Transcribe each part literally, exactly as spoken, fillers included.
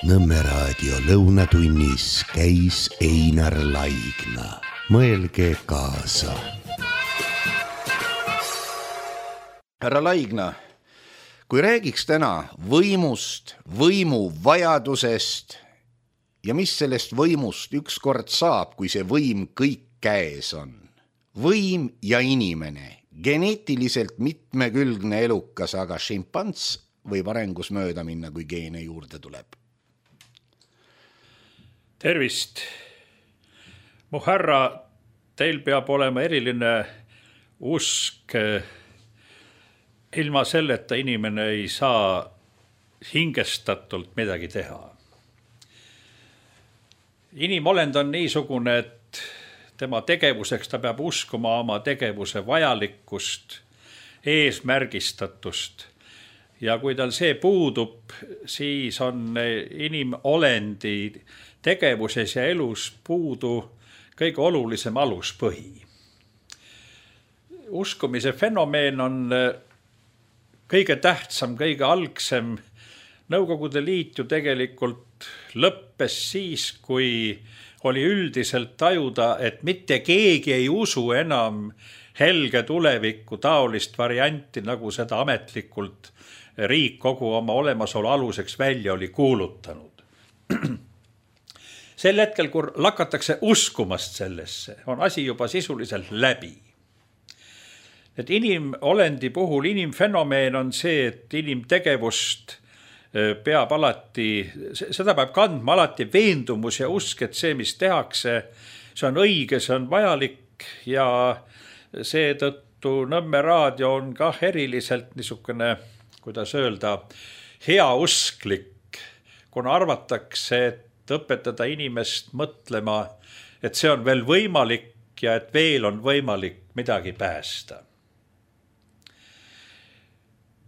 Nõmme raadio lõunatunnis käis Einar Laigna. Mõelge kaasa. Härra Laigna, kui räägiks täna võimust, võimu vajadusest ja mis sellest võimust ükskord saab, kui see võim kõik käes on. Võim ja inimene, geneetiliselt mitmekülgne elukas, aga šimpants võib arengus mööda minna, kui geene juurde tuleb. Tervist. Mu härra, teil peab olema eriline usk. Ilma selleta inimene ei saa hingestatult midagi teha. Inimolend on niisugune, et tema tegevuseks ta peab uskuma oma tegevuse vajalikkust, eesmärgistatust. Ja kui tal see puudub, siis on inimolendi tegevuses ja elus puudu kõige olulisem aluspõhi. Uskumise fenomeen on kõige tähtsam, kõige algsem. Nõukogude Liit ju tegelikult lõppes siis, kui oli üldiselt tajuda, et mitte keegi ei usu enam helge tulevikku taolist varianti, nagu seda ametlikult riik kogu oma olemasolu aluseks välja oli kuulutanud. Sel hetkel, kui lakatakse uskumast sellesse, on asi juba sisuliselt läbi. Et inimolendi puhul inimfenomeen on see, et inimtegevust peab alati, seda peab kandma alati veendumus ja usk, et see, mis tehakse, see on õige, see on vajalik ja seetõttu Nõmme raadio on kah eriliselt niisugune, kuidas öelda, heausklik, kuna arvatakse, et õpetada inimest mõtlema, et see on veel võimalik ja et veel on võimalik midagi päästa.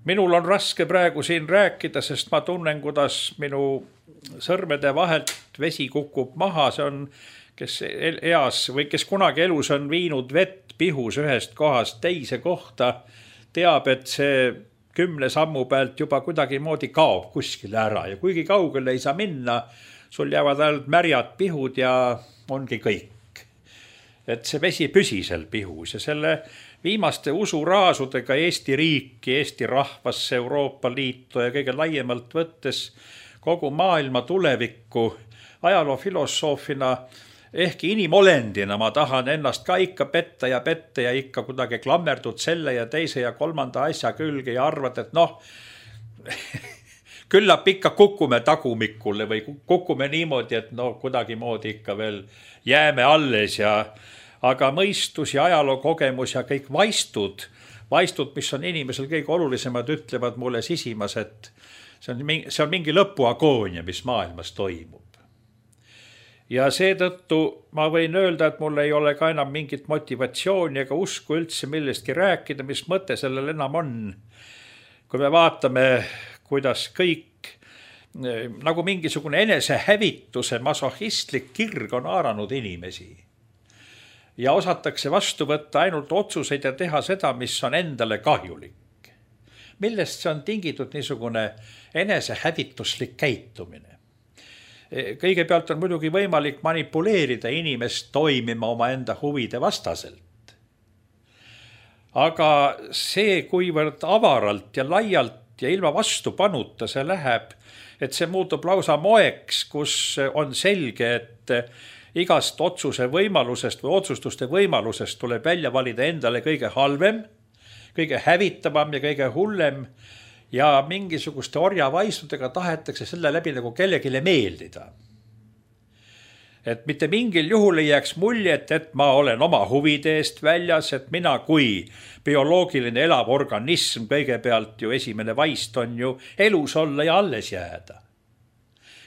Minul on raske praegu siin rääkida, sest ma tunnen, kuidas minu sõrmede vahelt vesi kukub maha. See on, kes eas või kes kunagi elus on viinud vett pihus ühest kohast teise kohta, teab, et see kümne sammu pealt juba kuidagi moodi kaob kuskile ära ja kuigi kaugele ei saa minna, sul jäävad ainult märjad pihud ja ongi kõik. Et see vesi püsi seal pihus ja selle viimaste usuraasudega Eesti riiki, Eesti rahvasse, Euroopa Liitu ja kõige laiemalt võttes kogu maailma tulevikku ajaloofilosoofina, ehkki inimolendina ma tahan ennast ka ikka petta ja petta ja ikka kuidagi klammerdud selle ja teise ja kolmanda asja külge ja arvad, et noh, küllap ikka kukume tagumikule või kukume niimoodi, et no kuidagi moodi ikka veel jääme alles ja aga mõistus ja ajaloo kogemus ja kõik vaistud, vaistud, mis on inimesel kõige olulisemad, ütlevad mulle sisimas, et see on, see on mingi lõpuagoonia, mis maailmas toimub. Ja seetõttu ma võin öelda, et mul ei ole ka enam mingit motivatsiooni ega usku üldse millestki rääkida, mis mõte sellel enam on. Kui me vaatame, kuidas kõik, nagu mingisugune enesehävituse masohistlik kirg on haaranud inimesi. Ja osatakse vastu võtta ainult otsuseid ja teha seda, mis on endale kahjulik. Millest see on tingitud niisugune enesehävituslik käitumine? Kõigepealt on muidugi võimalik manipuleerida inimest toimima oma enda huvide vastaselt. Aga see, kuivõrd avaralt ja laialt ja ilma vastupanuta see läheb, et see muutub lausa moeks, kus on selge, et igast otsuse võimalusest või otsustuste võimalusest tuleb välja valida endale kõige halvem, kõige hävitavam ja kõige hullem ja mingisuguste orjavaistudega tahetakse selle läbi nagu kellegile meeldida. Et mitte mingil juhul ei jääks muljet, et ma olen oma huvide eest väljas, et mina kui bioloogiline elav organism, kõigepealt ju esimene vaist on ju elus olla ja alles jääda.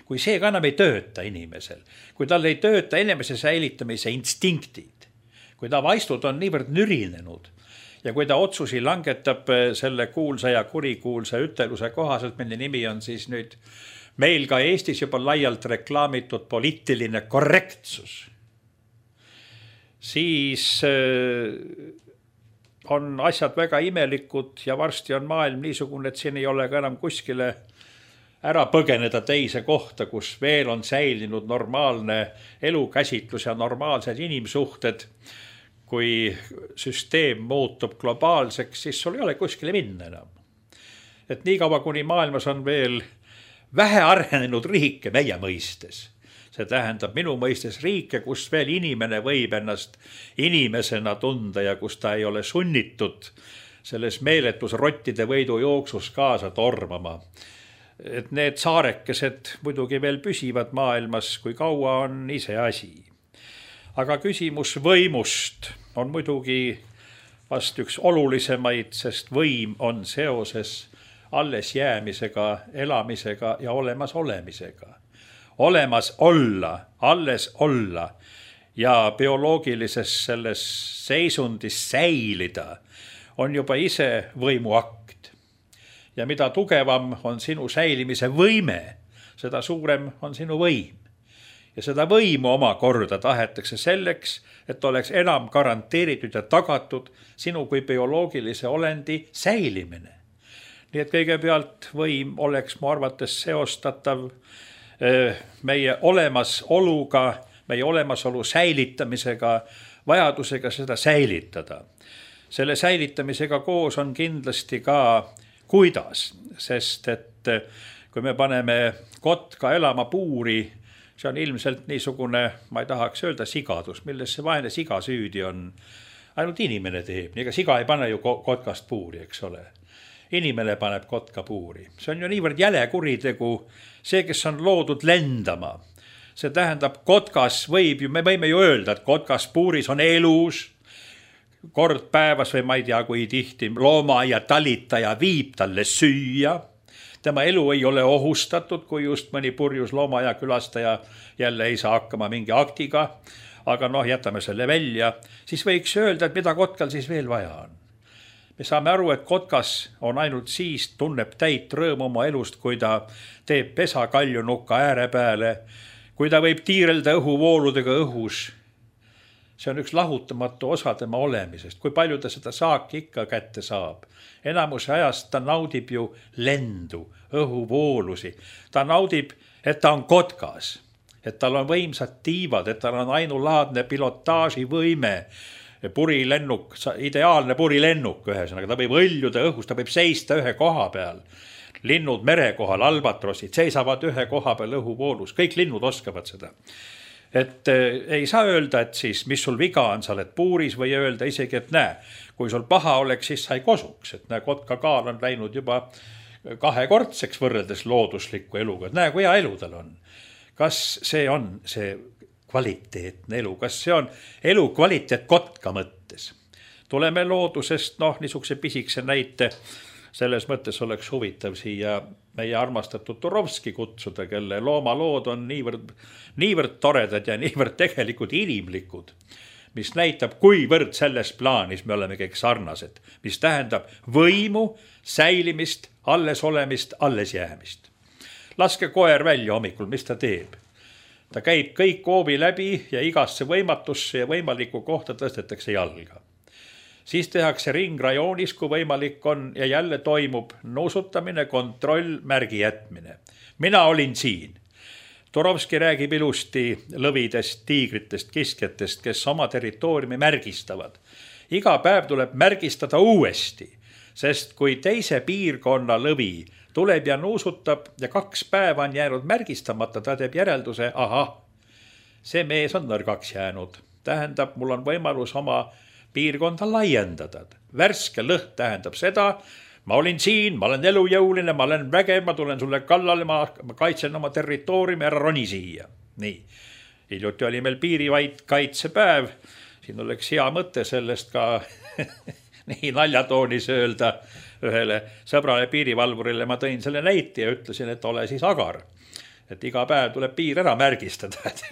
Kui see ka enam ei tööta inimesel, kui tal ei tööta inimese säilitamise instinktid, kui ta vaistud on niivõrd nürinenud ja kui ta otsusi langetab selle kuulsa ja kurikuulsa üteluse kohaselt, mille nimi on siis nüüd meil ka Eestis juba laialt reklaamitud poliitiline korrektsus, siis on asjad väga imelikud ja varsti on maailm niisugune, et siin ei ole ka enam kuskile ära põgeneda teise kohta, kus veel on säilinud normaalne elukäsitlus ja normaalsed inimsuhted. Kui süsteem muutub globaalseks, siis sul ei ole kuskile minna enam. Et nii kaua, kuni maailmas on veel vähe arenenud riike meie mõistes. See tähendab minu mõistes riike, kus veel inimene võib ennast inimesena tunda ja kus ta ei ole sunnitud selles meeletus rottide võidu jooksus kaasa tormama. Et need saarekesed muidugi veel püsivad maailmas, kui kaua on ise asi. Aga küsimus võimust on muidugi vast üks olulisemaid, sest võim on seoses alles jäämisega, elamisega ja olemas olemisega. Olemas olla, alles olla ja bioloogilises selles seisundis säilida on juba ise võimuakt. Ja mida tugevam on sinu säilimise võime, seda suurem on sinu võim. Ja seda võimu oma korda tahetakse selleks, et oleks enam garanteeritud ja tagatud sinu kui bioloogilise olendi säilimine. Nii et kõigepealt võim oleks mu arvates seostatav meie olemasoluga, meie olemasolu säilitamisega, vajadusega seda säilitada. Selle säilitamisega koos on kindlasti ka kuidas, sest et kui me paneme kotka elama puuri, see on ilmselt niisugune, ma ei tahaks öelda sigadus, milles see vaene siga süüdi on. Ainult inimene teeb, ega siga ei pane ju kotkast puuri, eks ole. Inimene paneb kotka puuri. See on ju niivõrd jäle kuritegu, see, kes on loodud lendama. See tähendab, kotkas võib ju, me võime ju öelda, et kotkas puuris on elus, kord päevas või ma ei tea, kui tihti looma ja talitaja viib talle süüa. Tema elu ei ole ohustatud, kui just mõni purjus looma ja külastaja jälle ei saa hakkama mingi aktiga, aga noh, jätame selle välja, siis võiks öelda, et mida kotkal siis veel vaja on. Me saame aru, et kotkas on ainult siis, tunneb täit rõõm oma elust, kui ta teeb pesa kaljunuka ääre peale, kui ta võib tiirelda õhuvooludega õhus. See on üks lahutamatu osa tema olemisest, kui palju ta seda saaki ikka kätte saab. Enamuse ajast ta naudib ju lendu, õhuvoolusi. Ta naudib, et ta on kotkas, et tal on võimsad tiivad, et tal on ainulaadne pilotaaži võime, purilennuk, ideaalne purilennuk ühesõnaga, ta võib õljuda õhus, ta võib seista ühe koha peal. Linnud mere kohal, albatrossid, seisavad ühe koha peal õhuvoolus, kõik linnud oskavad seda. Et ei saa öelda, et siis, mis sul viga on, sa oled puuris või öelda isegi, et näe, kui sul paha oleks, siis sa ei kosuks, et näe, kotka kaal on läinud juba kahekordseks võrreldes loodusliku eluga, et näe, kui hea elu tal on. Kas see on see kvaliteetne elu, kas see on elu kvaliteet kotka mõttes? Tuleme loodusest, noh, niisuguse pisikse näite, selles mõttes oleks huvitav siia meie armastatud Turovski kutsuda, kelle loomalood on niivõrd, niivõrd toredad ja niivõrd tegelikult inimlikud, mis näitab, kuivõrd selles plaanis me oleme kõik sarnased, mis tähendab võimu, säilimist, alles olemist, alles jäämist. Laske koer välja hommikul, mis ta teeb? Ta käib kõik hoovi läbi ja igasse võimatusse ja võimalikku kohta tõstetakse jalga. Siis tehakse ringrajoonis, kui võimalik on, ja jälle toimub nuusutamine, kontroll, märgi jätmine. Mina olin siin. Turovski räägib ilusti lõvidest, tiigritest, kiskjatest, kes oma territooriumi märgistavad. Iga päev tuleb märgistada uuesti, sest kui teise piirkonna lõvi tuleb ja nuusutab ja kaks päeva on jäänud märgistamata, ta teeb järelduse, aha, see mees on nõrgaks jäänud. Tähendab, mul on võimalus oma piirkonda laiendada. Värske lõht tähendab seda, ma olin siin, ma olen elujõuline, ma olen vägev, ma tulen sulle kallale, ma kaitsen oma territooriumi, ära roni siia. Nii, hiljuti oli meil piirivaid kaitsepäev, siin oleks hea mõte sellest ka nii naljatoonis öelda ühele sõbrale piirivalvurile, ma tõin selle näite ja ütlesin, et ole siis agar. Et iga päev tuleb piir ära märgistada, et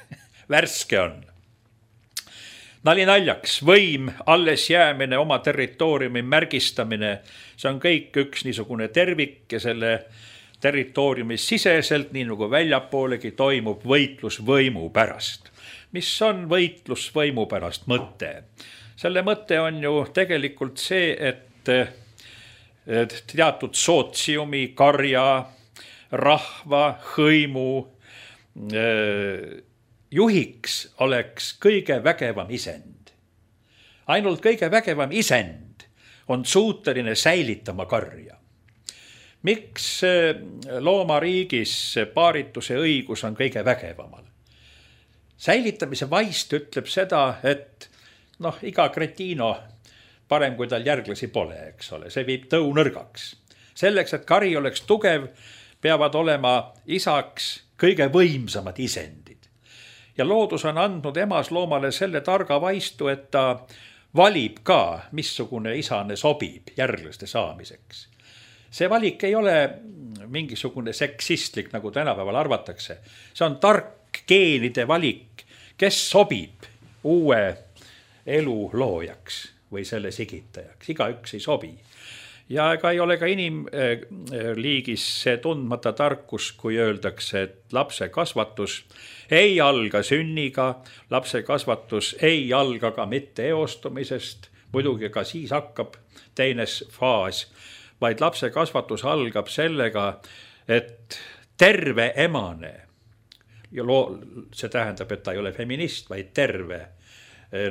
värske on. Nali naljaks, võim, alles jäämine, oma territooriumi märgistamine, see on kõik üks niisugune tervik ja selle territooriumi siseselt, nii nagu väljapoolegi, toimub võitlus võimu pärast. Mis on võitlus võimu pärast mõte? Selle mõte on ju tegelikult see, et teatud sootsiumi, karja, rahva, hõimu juhiks oleks kõige vägevam isend. Ainult kõige vägevam isend on suuteline säilitama karja. Miks loomariigis paarituse õigus on kõige vägevamal? Säilitamise vaist ütleb seda, et noh, iga kretiino parem, kui tal järglasi pole, eks ole. See viib tõu nõrgaks. Selleks, et kari oleks tugev, peavad olema isaks kõige võimsamad isendid. Ja loodus on andnud emasloomale selle targa vaistu, et ta valib ka, missugune isane sobib järglaste saamiseks. See valik ei ole mingisugune seksistlik, nagu tänapäeval arvatakse. See on tark geenide valik, kes sobib uue elu loojaks või selle sigitajaks. Igaüks ei sobi. Ja ega ei ole ka inimliigis see tundmata tarkus, kui öeldakse, et lapse kasvatus ei alga sünniga, lapse kasvatus ei alga ka mitte eostumisest, muidugi ka siis hakkab teines faas, vaid lapse kasvatus algab sellega, et terve emane, ja loo, see tähendab, et ta ei ole feminist, vaid terve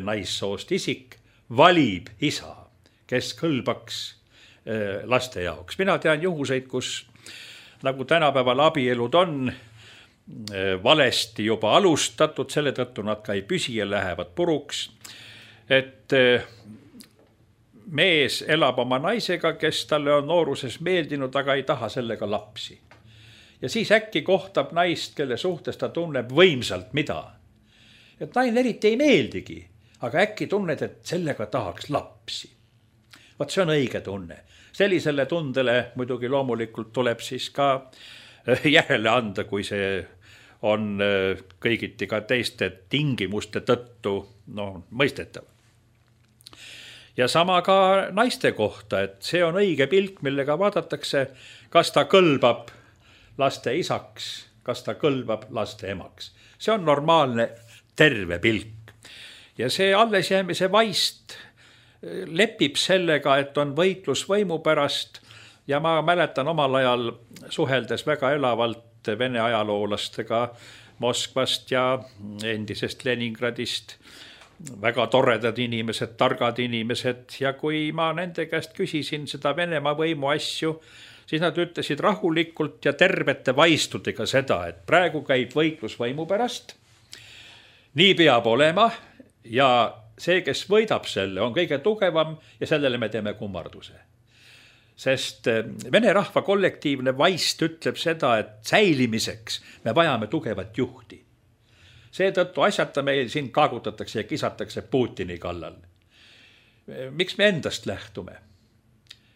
naissoost isik, valib isa, kes kõlbaks laste jaoks. Mina tean juhuseid, kus nagu tänapäeval abielud on valesti juba alustatud, selle tõttu nad ka ei püsi ja lähevad puruks, et mees elab oma naisega, kes talle on nooruses meeldinud, aga ei taha sellega lapsi. Ja siis äkki kohtab naist, kelle suhtes ta tunneb võimsalt mida. Et naine eriti ei meeldigi, aga äkki tunned, et sellega tahaks lapsi. Vaat see on õige tunne. Sellisele tundele muidugi loomulikult tuleb siis ka järele anda, kui see on kõigiti ka teiste tingimuste tõttu no, mõistetav. Ja sama ka naiste kohta, et see on õige pilk, millega vaadatakse, kas ta kõlbab laste isaks, kas ta kõlbab laste emaks. See on normaalne terve pilk. Ja see allesjäämise vaist lepib sellega, et on võitlus võimu pärast ja ma mäletan omal ajal suheldes väga elavalt Vene ajaloolastega Moskvast ja endisest Leningradist, väga toredad inimesed, targad inimesed ja kui ma nende käest küsisin seda Venemaa võimu asju, siis nad ütlesid rahulikult ja tervete vaistudega seda, et praegu käib võitlus võimu pärast, nii peab olema ja see, kes võidab selle, on kõige tugevam ja sellele me teeme kummarduse. Sest vene rahva kollektiivne vaist ütleb seda, et säilimiseks me vajame tugevat juhti. Seetõttu asjata meil siin kaagutatakse ja kisatakse Putini kallal. Miks me endast lähtume?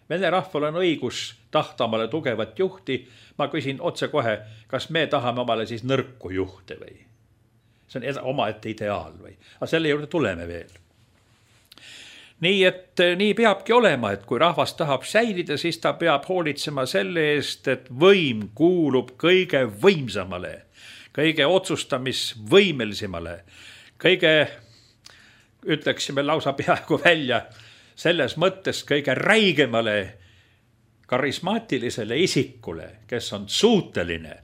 Vene rahval on õigus tahta omale tugevat juhti. Ma küsin otse kohe, kas me tahame omale siis nõrku juhte või? See on omaette ideaal või? Aga selle juurde tuleme veel. Nii et nii peabki olema, et kui rahvas tahab säilida, siis ta peab hoolitsema selle eest, et võim kuulub kõige võimsamale, kõige otsustamisvõimelisemale, kõige, ütleksime lausa peaaegu välja, selles mõttes kõige räigemale karismaatilisele isikule, kes on suuteline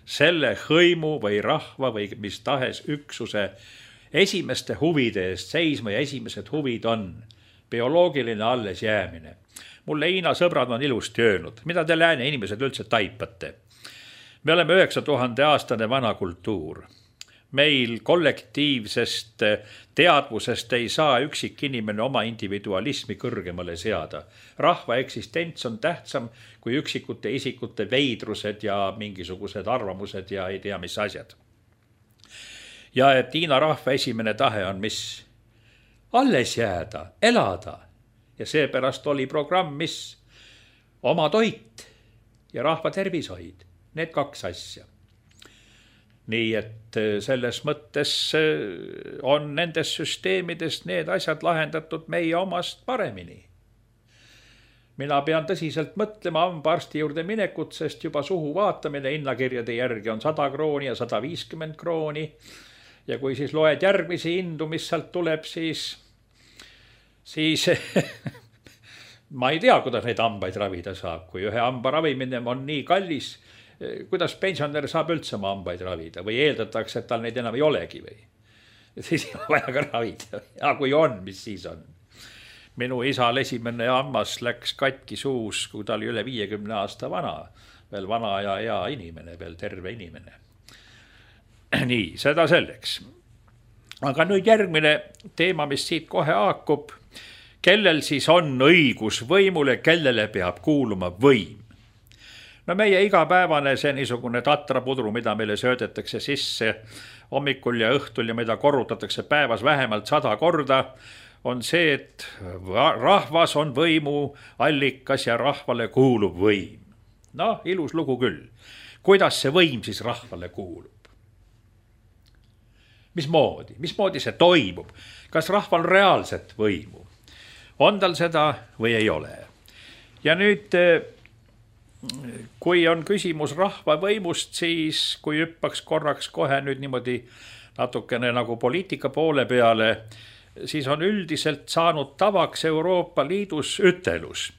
selle hõimu või rahva või mis tahes üksuse esimeste huvide eest seisma ja esimesed huvid on bioloogiline alles jäämine. Mulle Hiina sõbrad on ilusti öelnud, mida te lääne inimesed üldse taipate. Me oleme üheksa tuhande aastane vana kultuur. Meil kollektiivsest teadvusest ei saa üksik inimene oma individualismi kõrgemale seada. Rahva eksistents on tähtsam kui üksikute isikute veidrused ja mingisugused arvamused ja ei tea mis asjad. Ja et Hiina rahva esimene tahe on mis? Alles jääda, elada. Ja seepärast oli programm, mis oma toit ja rahva tervishoid. Need kaks asja. Nii et selles mõttes on nendes süsteemidest need asjad lahendatud meie omast paremini. Mina pean tõsiselt mõtlema hambaarsti juurde minekut, sest juba suhu vaatamine hinnakirjade järgi on sada krooni ja sada viiskümmend krooni. Ja kui siis loed järgmisi hindu, mis sealt tuleb, siis, siis ma ei tea, kuidas neid hambaid ravida saab. Kui ühe hamba ravimine on nii kallis, kuidas pensionär saab üldse oma hambaid ravida või eeldatakse, et tal neid enam ei olegi või? Siis ei ole vaja ka ravida. Ja kui on, mis siis on? Minu isal esimene hammas läks katki suus, kui ta oli üle viiekümne aasta vana. Veel vana ja hea inimene, veel terve inimene. Nii, seda selleks. Aga nüüd järgmine teema, mis siit kohe haakub. Kellel siis on õigus võimule, kellele peab kuuluma võim? No meie igapäevane see niisugune tatrapudru, mida meile söödetakse sisse hommikul ja õhtul ja mida korrutatakse päevas vähemalt sada korda, on see, et rahvas on võimu allikas ja rahvale kuulub võim. No, ilus lugu küll. Kuidas see võim siis rahvale kuulub? Mismoodi? Mismoodi see toimub? Kas rahval reaalset võimu? On tal seda või ei ole? Ja nüüd, kui on küsimus rahva võimust, siis kui hüppaks korraks kohe nüüd niimoodi natukene nagu poliitika poole peale, siis on üldiselt saanud tavaks Euroopa Liidus ütelus.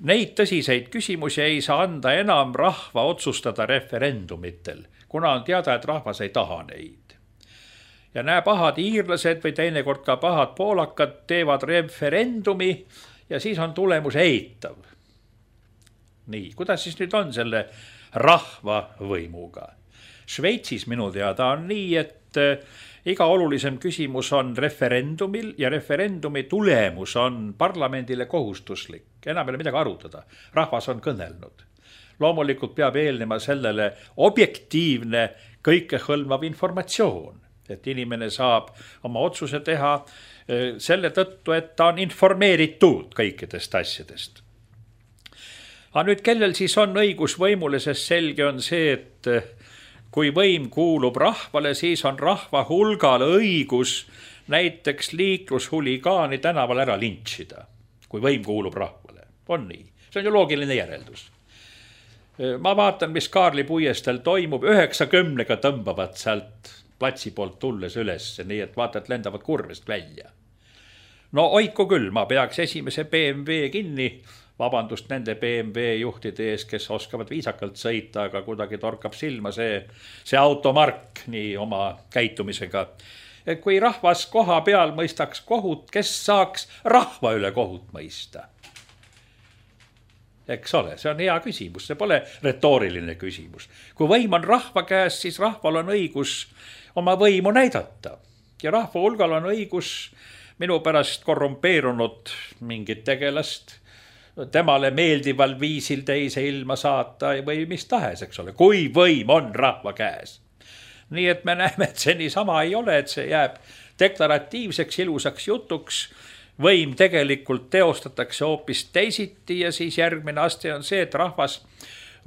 Neid tõsiseid küsimusi ei saa anda enam rahva otsustada referendumitel, kuna on teada, et rahvas ei taha neid. Ja näe pahad iirlased või teinekord ka pahad poolakad teevad referendumi ja siis on tulemus eitav. Nii, kuidas siis nüüd on selle rahva võimuga? Šveitsis minu teada on nii, et iga olulisem küsimus on referendumil ja referendumi tulemus on parlamendile kohustuslik. Enam ei ole midagi arutada. Rahvas on kõnelnud. Loomulikult peab eelnema sellele objektiivne kõikehõlmav informatsioon, et inimene saab oma otsuse teha selle tõttu, et ta on informeeritud kõikidest asjadest. Aga nüüd, kellel siis on õigus võimule, sest selge on see, et kui võim kuulub rahvale, siis on rahva hulgal õigus näiteks liiklushuligaani tänaval ära lintšida, kui võim kuulub rahvale. On nii. See on ju loogiline järeldus. Ma vaatan, mis Kaarli puiestel toimub, üheksakümnega tõmbavad sealt platsi poolt tulles üles, nii et vaata, et lendavad kurvest välja. No oiku küll, ma peaks esimese B M W kinni, vabandust nende B M W juhtide ees, kes oskavad viisakalt sõita, aga kuidagi torkab silma see, see automark nii oma käitumisega. Kui rahvas koha peal mõistaks kohut, kes saaks rahva üle kohut mõista? Eks ole, see on hea küsimus, see pole retooriline küsimus. Kui võim on rahva käes, siis rahval on õigus oma võimu näidata. Ja rahva hulgal on õigus minu pärast korrumpeerunud mingit tegelast, temale meeldival viisil teise ilma saata või mis tahes, eks ole, kui võim on rahva käes. Nii et me näeme, et see nii sama ei ole, et see jääb deklaratiivseks ilusaks jutuks, võim tegelikult teostatakse hoopis teisiti ja siis järgmine aste on see, et rahvas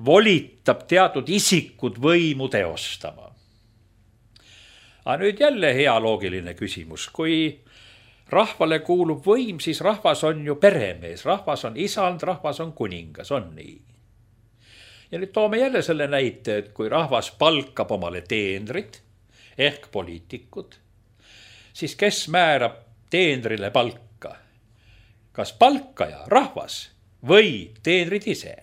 volitab teatud isikud võimu teostama. Aga nüüd jälle hea loogiline küsimus. Kui rahvale kuulub võim, siis rahvas on ju peremees, rahvas on isand, rahvas on kuningas, on nii. Ja nüüd toome jälle selle näite, et kui rahvas palkab omale teenrid ehk poliitikud, siis kes määrab teenrile palka? Kas palkaja, rahvas või teenrid ise?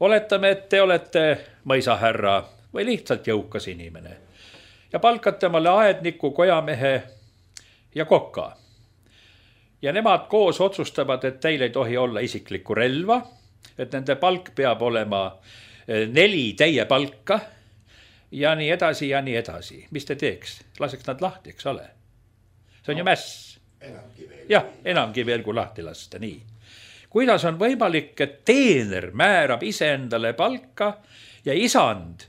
Oletame, et te olete mõisahärra või lihtsalt jõukas inimene ja palkate omale aedniku, kojamehe ja koka. Ja nemad koos otsustavad, et teil ei tohi olla isiklikku relva, et nende palk peab olema neli teie palka ja nii edasi ja nii edasi. Mis te teeks? Laseks nad lahti, eks ole? See on ju mäss. Jah, enamgi veel kui lahti lasta, nii. Kuidas on võimalik, et teener määrab ise endale palka ja isand,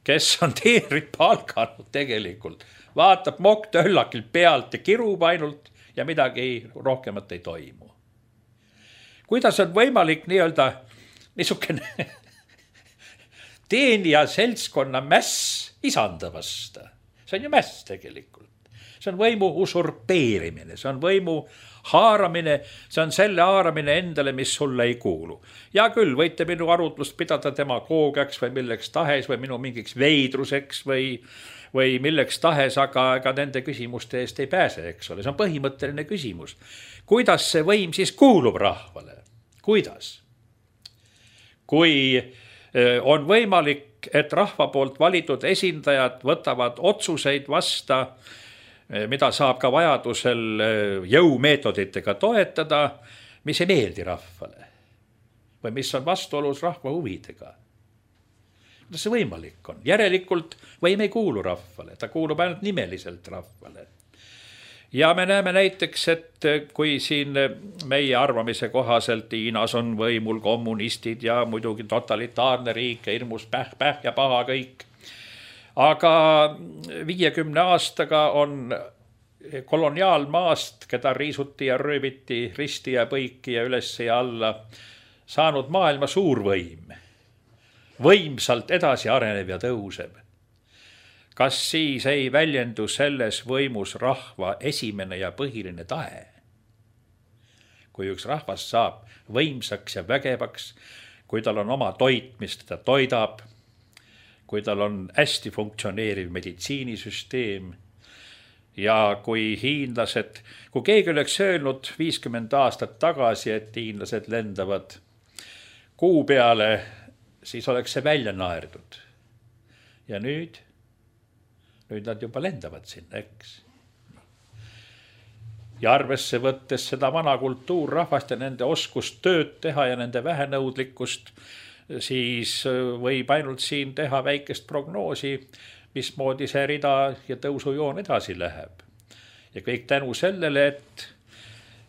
kes on teenrid palkanud tegelikult, vaatab mokk-töllakilt pealt ja kirub ainult ja midagi rohkemat ei toimu. Kuidas on võimalik nii-öelda niisugune teenija seltskonna mäss isanda vasta? See on ju mäss tegelikult. See on võimu usurpeerimine, see on võimu haaramine, see on selle haaramine endale, mis sulle ei kuulu. Ja küll, võite minu arutlust pidada demagoogiaks või milleks tahes või minu mingiks veidruseks või, või milleks tahes, aga ega nende küsimuste eest ei pääse, eks ole. See on põhimõtteline küsimus. Kuidas see võim siis kuulub rahvale? Kuidas? kui on võimalik, et rahva poolt valitud esindajad võtavad otsuseid vasta, mida saab ka vajadusel jõumeetoditega toetada, mis ei meeldi rahvale või mis on vastuolus rahva huvidega. Kuidas see võimalik on? Järelikult võim ei kuulu rahvale, ta kuulub ainult nimeliselt rahvale. Ja me näeme näiteks, et kui siin meie arvamise kohaselt Hiinas on võimul kommunistid ja muidugi totalitaarne riik ja hirmus päh, päh ja paha kõik, aga viiekümne aastaga on koloniaalmaast, keda riisuti ja rööviti risti ja põiki ja üles ja alla, saanud maailma suurvõim, võimsalt edasi arenev ja tõuseb. Kas siis ei väljendu selles võimus rahva esimene ja põhiline tahe? Kui üks rahvas saab võimsaks ja vägevaks, kui tal on oma toit, mis teda toidab, kui tal on hästi funktsioneeriv meditsiinisüsteem ja kui hiinlased, kui keegi oleks öelnud viiskümmend aastat tagasi, et hiinlased lendavad kuu peale, siis oleks see välja naerdud. Ja nüüd, nüüd nad juba lendavad sinna, eks. Ja arvesse võttes seda vana kultuurrahvast ja nende oskust tööd teha ja nende vähenõudlikkust, siis võib ainult siin teha väikest prognoosi, mismoodi see rida ja tõusujoon edasi läheb. Ja kõik tänu sellele, et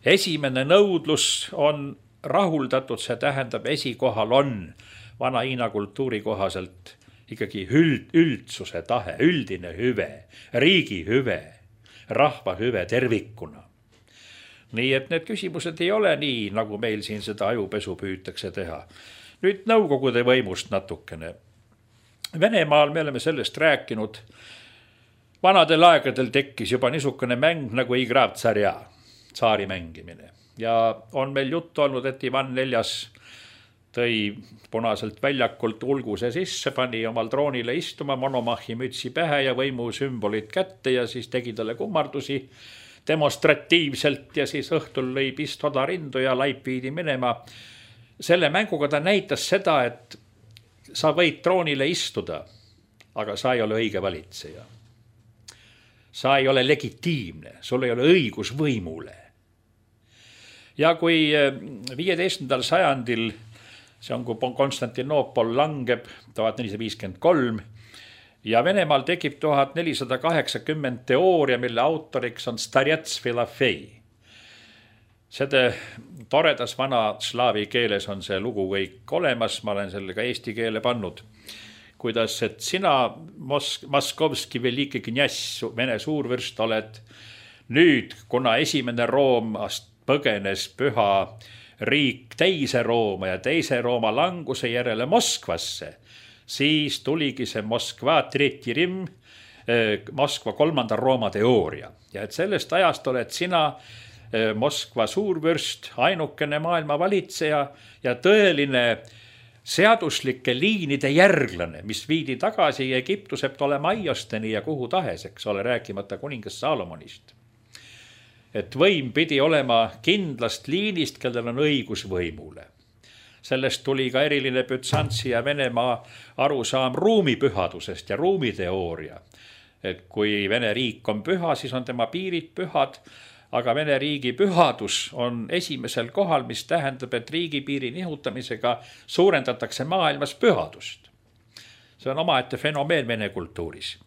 esimene nõudlus on rahuldatud, see tähendab esikohal on vana Hiina kultuuri kohaselt ikkagi üld, üldsuse tahe, üldine hüve, riigi hüve, rahva hüve tervikuna. Nii et need küsimused ei ole nii, nagu meil siin seda ajupesu püütakse teha. Nüüd nõukogude võimust natukene. Venemaal me oleme sellest rääkinud. Vanadel aegadel tekkis juba niisugune mäng nagu Igrav tsarja, tsaari mängimine. Ja on meil juttu olnud, et Ivan neljas tõi punaselt väljakult ulguse sisse, pani omal troonile istuma, monomahi mütsi pähe ja võimu sümbolid kätte ja siis tegi talle kummardusi demonstratiivselt ja siis õhtul lõi pistoda rindu ja laip viidi minema. Selle mänguga ta näitas seda, et sa võid troonile istuda, aga sa ei ole õige valitseja. Sa ei ole legitiimne, sul ei ole õigus võimule. Ja kui viieteistkümnendal sajandil, see on, kui Konstantinoopol langeb tuhat nelisada viiskümmend kolm ja Venemaal tekib tuhat nelisada kaheksakümmend teooria, mille autoriks on Starets Filofei. Seda toredas vana slaavi keeles on see lugu kõik olemas, ma olen selle ka eesti keele pannud. Kuidas, et sina Mosk- Moskovski veliki kňass, Vene suurvürst oled nüüd, kuna esimene Roomast põgenes püha riik teise Rooma ja teise Rooma languse järele Moskvasse, siis tuligi see Moskva Tretji Rim, Moskva kolmanda Rooma teooria. Ja et sellest ajast oled sina Moskva suurvürst, ainukene maailma valitseja ja tõeline seaduslike liinide järglane, mis viidi tagasi Egiptuse Ptolemaiosteni ja kuhu taheseks, ole rääkimata kuningas Salomonist. Et võim pidi olema kindlast liinist, kellel on õigus võimule. Sellest tuli ka eriline Bütsantsi ja Venemaa arusaam ruumipühadusest ja ruumiteooria. Et kui Vene riik on püha, siis on tema piirid pühad, aga Vene riigi pühadus on esimesel kohal, mis tähendab, et riigipiiri nihutamisega suurendatakse maailmas pühadust. See on omaette fenomeen Vene kultuuris.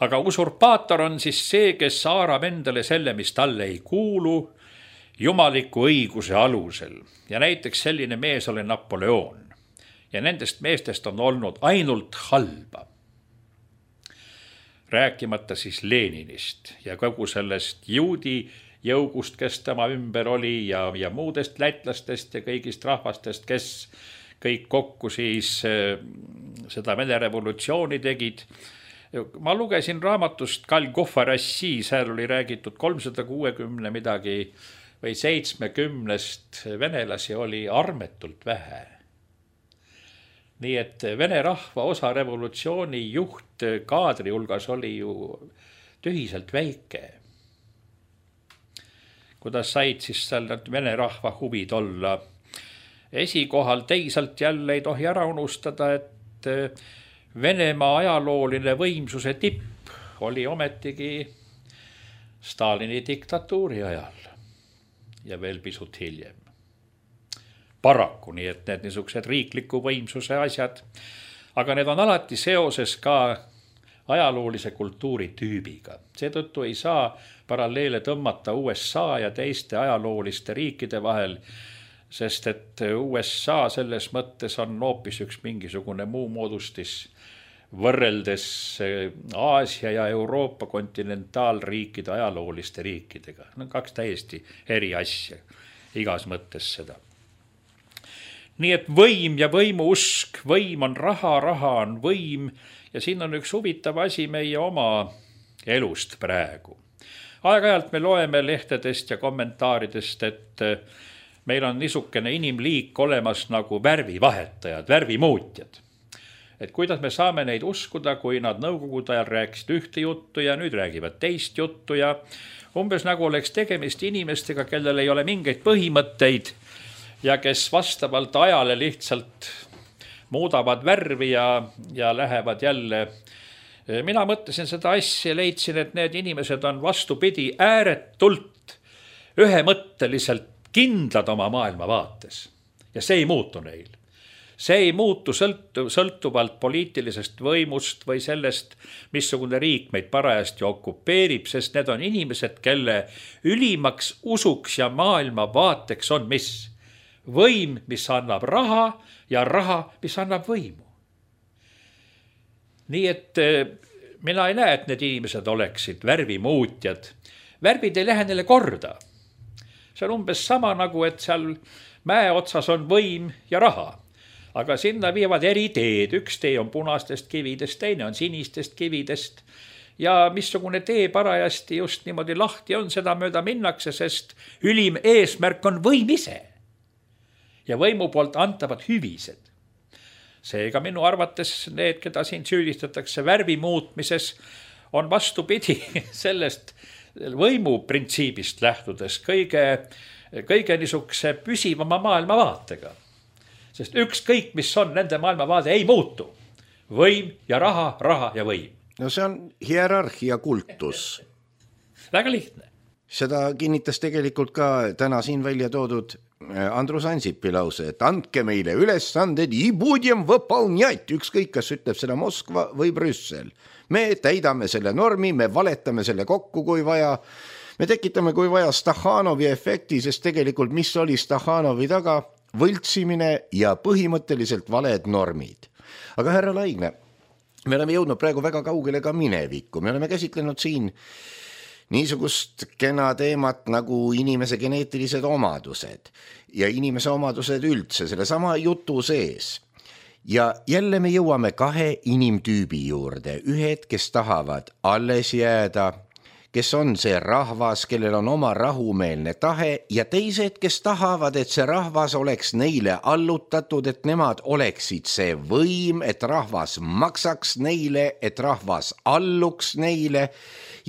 Aga usurpaator on siis see, kes haarab endale selle, mis talle ei kuulu, jumaliku õiguse alusel. Ja näiteks selline mees oli Napoleon. Ja nendest meestest on olnud ainult halba. Rääkimata siis Leninist ja kogu sellest juudi jõugust, kes tema ümber oli ja, ja muudest lätlastest ja kõigist rahvastest, kes kõik kokku siis seda Vene revolutsiooni tegid. Ma lugesin raamatust Golgotha Rassi, seal oli räägitud kolmsada kuuskümmend midagi või seitsmekümnest venelasi oli armetult vähe. Nii et Vene rahva osa revolutsiooni juht kaadri hulgas oli ju tühiselt väike. Kuidas said siis seal Vene rahva huvid olla esikohal teisalt jälle ei tohi ära unustada, et Venemaa ajalooline võimsuse tipp oli ometigi Stalini diktatuuri ajal ja veel pisut hiljem. Paraku, nii et need niisugused riikliku võimsuse asjad, aga need on alati seoses ka ajaloolise kultuuri tüübiga. Seetõttu ei saa paralleele tõmmata U S A ja teiste ajalooliste riikide vahel, sest et U S A selles mõttes on hoopis üks mingisugune muu moodustis võrreldes Aasia ja Euroopa kontinentaalriikide ajalooliste riikidega. No kaks täiesti eri asja, igas mõttes seda. Nii et võim ja võimu usk, võim on raha, raha on võim ja siin on üks huvitav asi meie oma elust praegu. Aeg-ajalt me loeme lehtedest ja kommentaaridest, et meil on niisugune inimliik olemas nagu värvivahetajad, värvimuutjad. Et kuidas me saame neid uskuda, kui nad nõukogude ajal rääkisid ühte juttu ja nüüd räägivad teist juttu ja umbes nagu oleks tegemist inimestega, kellel ei ole mingeid põhimõtteid ja kes vastavalt ajale lihtsalt muudavad värvi ja, ja lähevad jälle. Mina mõtlesin seda asja ja leidsin, et need inimesed on vastupidi ääretult ühemõtteliselt kindlad oma maailmavaates ja see ei muutu neil. See ei muutu sõltu, sõltuvalt poliitilisest võimust või sellest, missugune riik meid parajasti okupeerib, sest need on inimesed, kelle ülimaks usuks ja maailmavaateks on mis? Võim, mis annab raha ja raha, mis annab võimu. Nii et mina ei näe, et need inimesed oleksid värvimuutjad. Värvid ei lähe neile korda. See on umbes sama nagu, et seal mäe otsas on võim ja raha. Aga sinna viivad eri teed. Üks tee on punastest kividest, teine on sinistest kividest. Ja missugune tee parajasti just niimoodi lahti on, seda mööda minnakse, sest ülim eesmärk on võim ise. Ja võimu poolt antavad hüvised. Seega minu arvates need, keda siin süüdistatakse värvi muutmises, on vastupidi sellest võimu printsiibist lähtudes kõige, kõige niisuguse püsivama maailmavaatega. Sest ükskõik, mis on nende maailmavaade, ei muutu. Võim ja raha, raha ja võim. No see on hierarhia kultus. Väga lihtne. Seda kinnitas tegelikult ka täna siin välja toodud Andrus Ansipi lause, et andke meile ülesanded i budem võpalnjat, ükskõik, kas ütleb seda Moskva või Brüssel. Me täidame selle normi, me valetame selle kokku, kui vaja. Me tekitame, kui vaja, Stakhanovi efekti, sest tegelikult mis oli Stakhanovi taga? Võltsimine ja põhimõtteliselt valed normid. Aga härra Laigne, me oleme jõudnud praegu väga kaugele ka minevikku. Me oleme käsitlenud siin niisugust kena teemat nagu inimese geneetilised omadused ja inimese omadused üldse selle sama jutu sees. Ja jälle me jõuame kahe inimtüübi juurde. Ühed, kes tahavad alles jääda, kes on see rahvas, kellel on oma rahumeelne tahe ja teised, kes tahavad, et see rahvas oleks neile allutatud, et nemad oleksid see võim, et rahvas maksaks neile, et rahvas alluks neile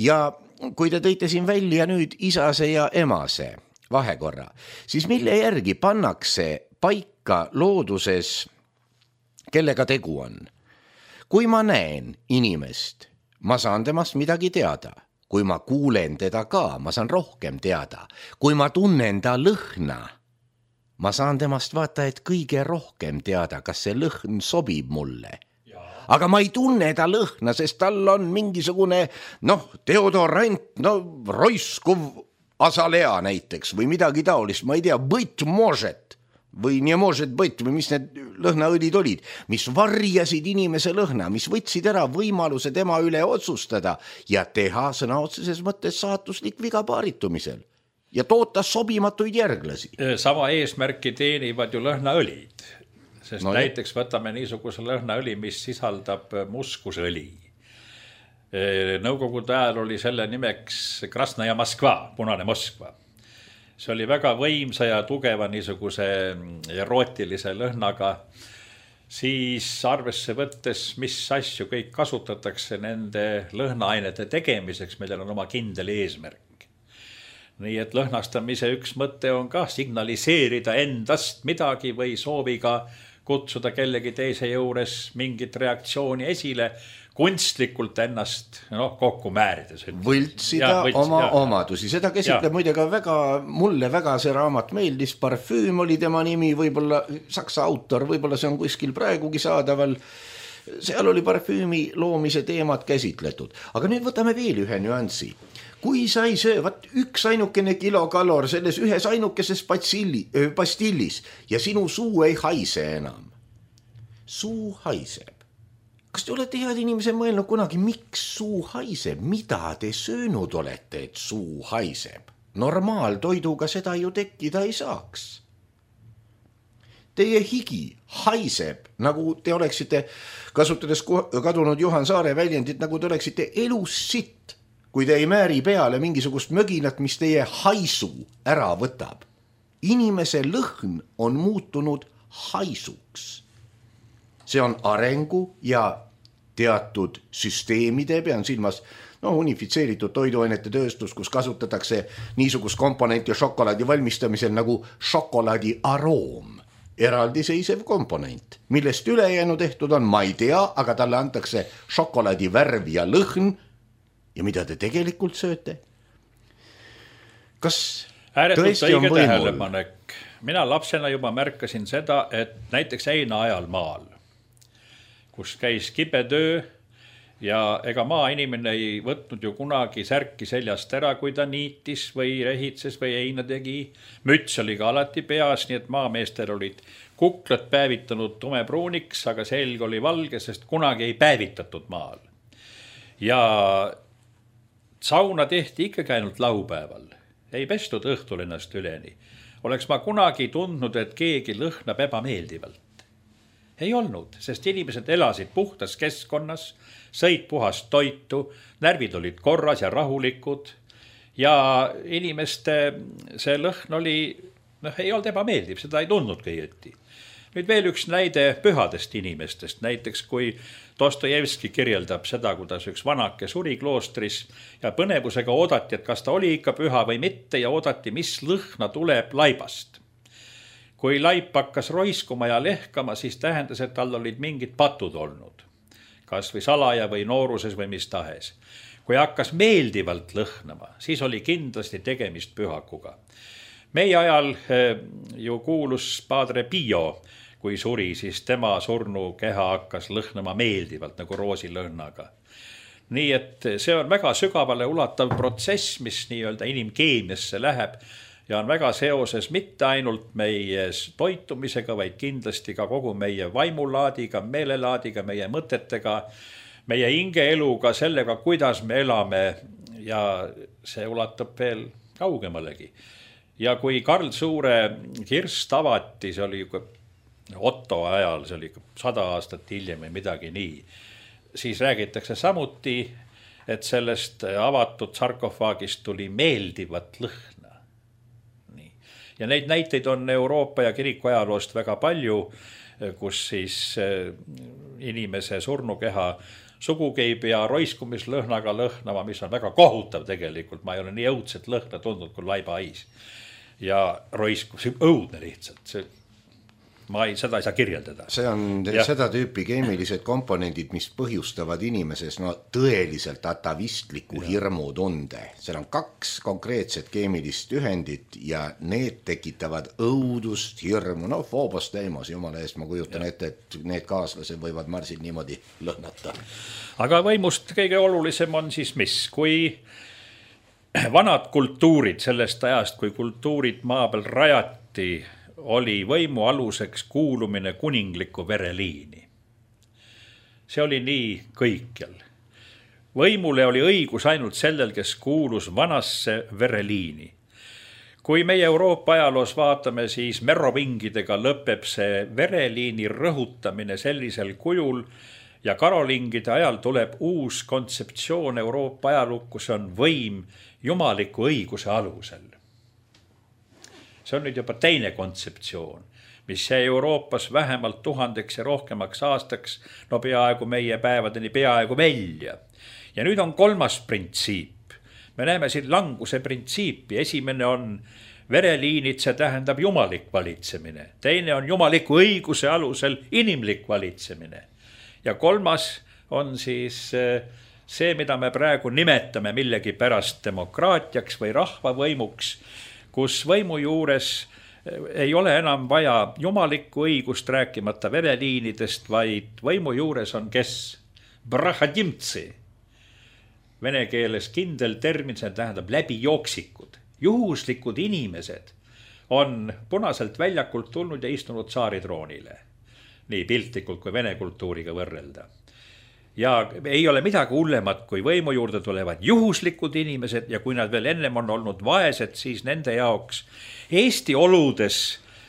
ja kui te tõite siin välja nüüd isase ja emase vahekorra, siis mille järgi pannakse paika looduses, kellega tegu on? Kui ma näen inimest, ma saan temast midagi teada. Kui ma kuulen teda ka, ma saan rohkem teada. Kui ma tunnen ta lõhna, ma saan temast vaata, et kõige rohkem teada, kas see lõhn sobib mulle. Aga ma ei tunne ta lõhna, sest tal on mingisugune, noh, deodorant, no roiskuv asalea näiteks või midagi taolist, ma ei tea, быть может või nie может быть või mis need lõhnaõlid olid, mis varjasid inimese lõhna, mis võtsid ära võimaluse tema üle otsustada ja teha sõna otseses mõttes saatuslik viga paaritumisel ja toota sobimatuid järglasi. Sama eesmärki teenivad ju lõhnaõlid, sest no, näiteks võtame niisuguse lõhnaõli, mis sisaldab muskusõli. Nõukogude ajal oli selle nimeks Krasnaja Moskva, punane Moskva. See oli väga võimsa ja tugeva niisuguse erootilise lõhnaga, siis arvesse võttes, mis asju kõik kasutatakse nende lõhnaainete tegemiseks, millel on oma kindel eesmärk. nii et lõhnastamise üks mõte on ka signaliseerida endast midagi või sooviga kutsuda kellegi teise juures mingit reaktsiooni esile, kunstlikult ennast noh, kokku määrides. Võltsida ja, võlts, oma ja, omadusi. Seda käsitleb ja. muide ka väga, mulle väga see raamat meeldis, Parfüüm oli tema nimi, võib-olla saksa autor, võib-olla see on kuskil praegugi saadaval. Seal oli parfüümi loomise teemad käsitletud. Aga nüüd võtame veel ühe nüansi. Kui sa ei söö, vaat üks ainukene kilokalor selles ühes ainukeses pastilli, pastillis ja sinu suu ei haise enam. Suu haiseb. Kas te olete head inimese mõelnud kunagi, miks suu haiseb? Mida te söönud olete, et suu haiseb? Normaaltoiduga seda ju tekkida ei saaks. Teie higi haiseb, nagu te oleksite, kasutades kadunud Juhan Saare väljendit, nagu te oleksite elus sitt, kui te ei määri peale mingisugust möginat, mis teie haisu ära võtab. Inimese lõhn on muutunud haisuks. See on arengu ja teatud süsteemide, pean silmas no, unifitseeritud toiduainete tööstus, kus kasutatakse niisugust komponenti šokolaadi valmistamisel nagu šokolaadi aroom. Eraldiseisev komponent, millest ülejäänu tehtud on, ma ei tea, aga talle antakse šokolaadi värv ja lõhn ja mida te tegelikult sööte? Kas ääretult tõesti on õige võimul? Tähelepanek. Mina lapsena juba märkasin seda, et näiteks heina ajal maal, kus käis kibetöö ja ega maainimene ei võtnud ju kunagi särki seljast ära, kui ta niitis või rehitses või heina tegi. Müts oli ka alati peas, nii et maameestel olid kuklad päevitanud tumepruuniks, aga selg oli valge, sest kunagi ei päevitatud maal. Ja sauna tehti ikkagi ainult laupäeval. Ei pestud õhtul ennast üleni. Oleks ma kunagi tundnud, et keegi lõhnab ebameeldivalt. Ei olnud, sest inimesed elasid puhtas keskkonnas, sõid puhast toitu, närvid olid korras ja rahulikud ja inimeste see lõhn oli, noh, ei olnud ebameeldiv, seda ei tundnudki õieti. Nüüd veel üks näide pühadest inimestest, näiteks kui Dostojevski kirjeldab seda, kuidas üks vanake suri kloostris ja põnevusega oodati, et kas ta oli ikka püha või mitte ja oodati, mis lõhna tuleb laibast. Kui laip hakkas roiskuma ja lehkama, siis tähendas, et tal olid mingid patud olnud. Kas või salaja või nooruses või mis tahes. Kui hakkas meeldivalt lõhnama, siis oli kindlasti tegemist pühakuga. Meie ajal ju kuulus Padre Pio, kui suri, siis tema surnu keha hakkas lõhnama meeldivalt nagu roosilõhnaga. Nii et see on väga sügavale ulatav protsess, mis nii-öelda inimkeemiasse läheb ja on väga seoses mitte ainult meie toitumisega, vaid kindlasti ka kogu meie vaimulaadiga, meelelaadiga, meie mõtetega, meie hingeeluga, sellega, kuidas me elame ja see ulatub veel kaugemalegi. Ja kui Karl Suure kirst avati, see oli Otto ajal, see oli sada aastat hiljem või midagi nii, siis räägitakse samuti, et sellest avatud sarkofaagist tuli meeldivat lõhna. Ja neid näiteid on Euroopa ja kiriku ajaloost väga palju, kus siis inimese surnukeha sugugi ei pea roiskumislõhnaga lõhnama, mis on väga kohutav tegelikult. Ma ei ole nii õudset lõhna tundnud kui laibahais. Ja roiskum, see on õudne lihtsalt. See, ma ei, seda ei saa kirjeldada. See on ja. seda tüüpi keemilised komponendid, mis põhjustavad inimeses no, tõeliselt atavistliku ja. hirmutunde. Seal on kaks konkreetset keemilist ühendit ja need tekitavad õudust, hirmu. No Phobos Deimos, jumala eest, ma kujutan ja. ette, et need kaaslased võivad Marsil niimoodi lõhnata. Aga võimust kõige olulisem on siis mis? Kui vanad kultuurid sellest ajast, kui kultuurid maa peal rajati, oli võimu aluseks kuulumine kuningliku vereliini. See oli nii kõikjal. Võimule oli õigus ainult sellel, kes kuulus vanasse vereliini. Kui meie Euroopa ajaloos vaatame, siis merovingidega lõpeb see vereliini rõhutamine sellisel kujul ja karolingide ajal tuleb uus kontseptsioon Euroopa ajalukku, see on võim jumaliku õiguse alusel. See on nüüd juba teine kontseptsioon, mis jäi Euroopas vähemalt tuhandeks ja rohkemaks aastaks, no peaaegu meie päevadeni peaaegu välja. Ja nüüd on kolmas printsiip. me näeme siin languse printsiipi. Esimene on vereliinid, see tähendab jumalik valitsemine. Teine on jumaliku õiguse alusel inimlik valitsemine. Ja kolmas on siis see, mida me praegu nimetame millegi pärast demokraatiaks või rahvavõimuks, kus võimu juures ei ole enam vaja jumalikku õigust, rääkimata vereliinidest, vaid võimu juures on kes? Brahadimtsi. Vene keeles kindel termin, see tähendab läbijooksikud. Juhuslikud inimesed on punaselt väljakult tulnud ja istunud tsaaritroonile. Nii piltlikult kui vene kultuuriga võrrelda. Ja ei ole midagi hullemat, kui võimu juurde tulevad juhuslikud inimesed ja kui nad veel ennem on olnud vaesed, siis nende jaoks Eesti oludes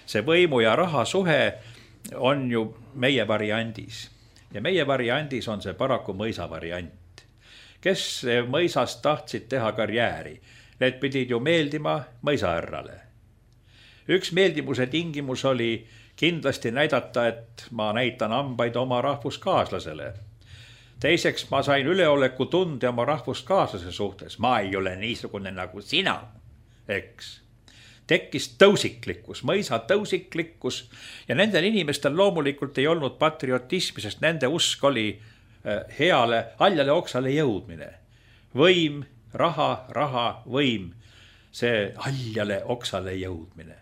see võimu ja raha suhe on ju meie variandis. Ja meie variandis on see paraku mõisa variant. Kes mõisast tahtsid teha karjääri, need pidid ju meeldima mõisahärrale. Üks meeldimuse tingimus oli kindlasti näidata, et ma näitan hambaid oma rahvuskaaslasele. Teiseks, ma sain üleoleku tunde oma rahvuskaaslase suhtes. Ma ei ole niisugune nagu sina, eks. Tekkis tõusiklikkus, mõisa tõusiklikkus ja nendel inimestel loomulikult ei olnud patriotismi, sest nende usk oli heale, haljale oksale jõudmine. Võim, raha, raha, võim, see haljale oksale jõudmine.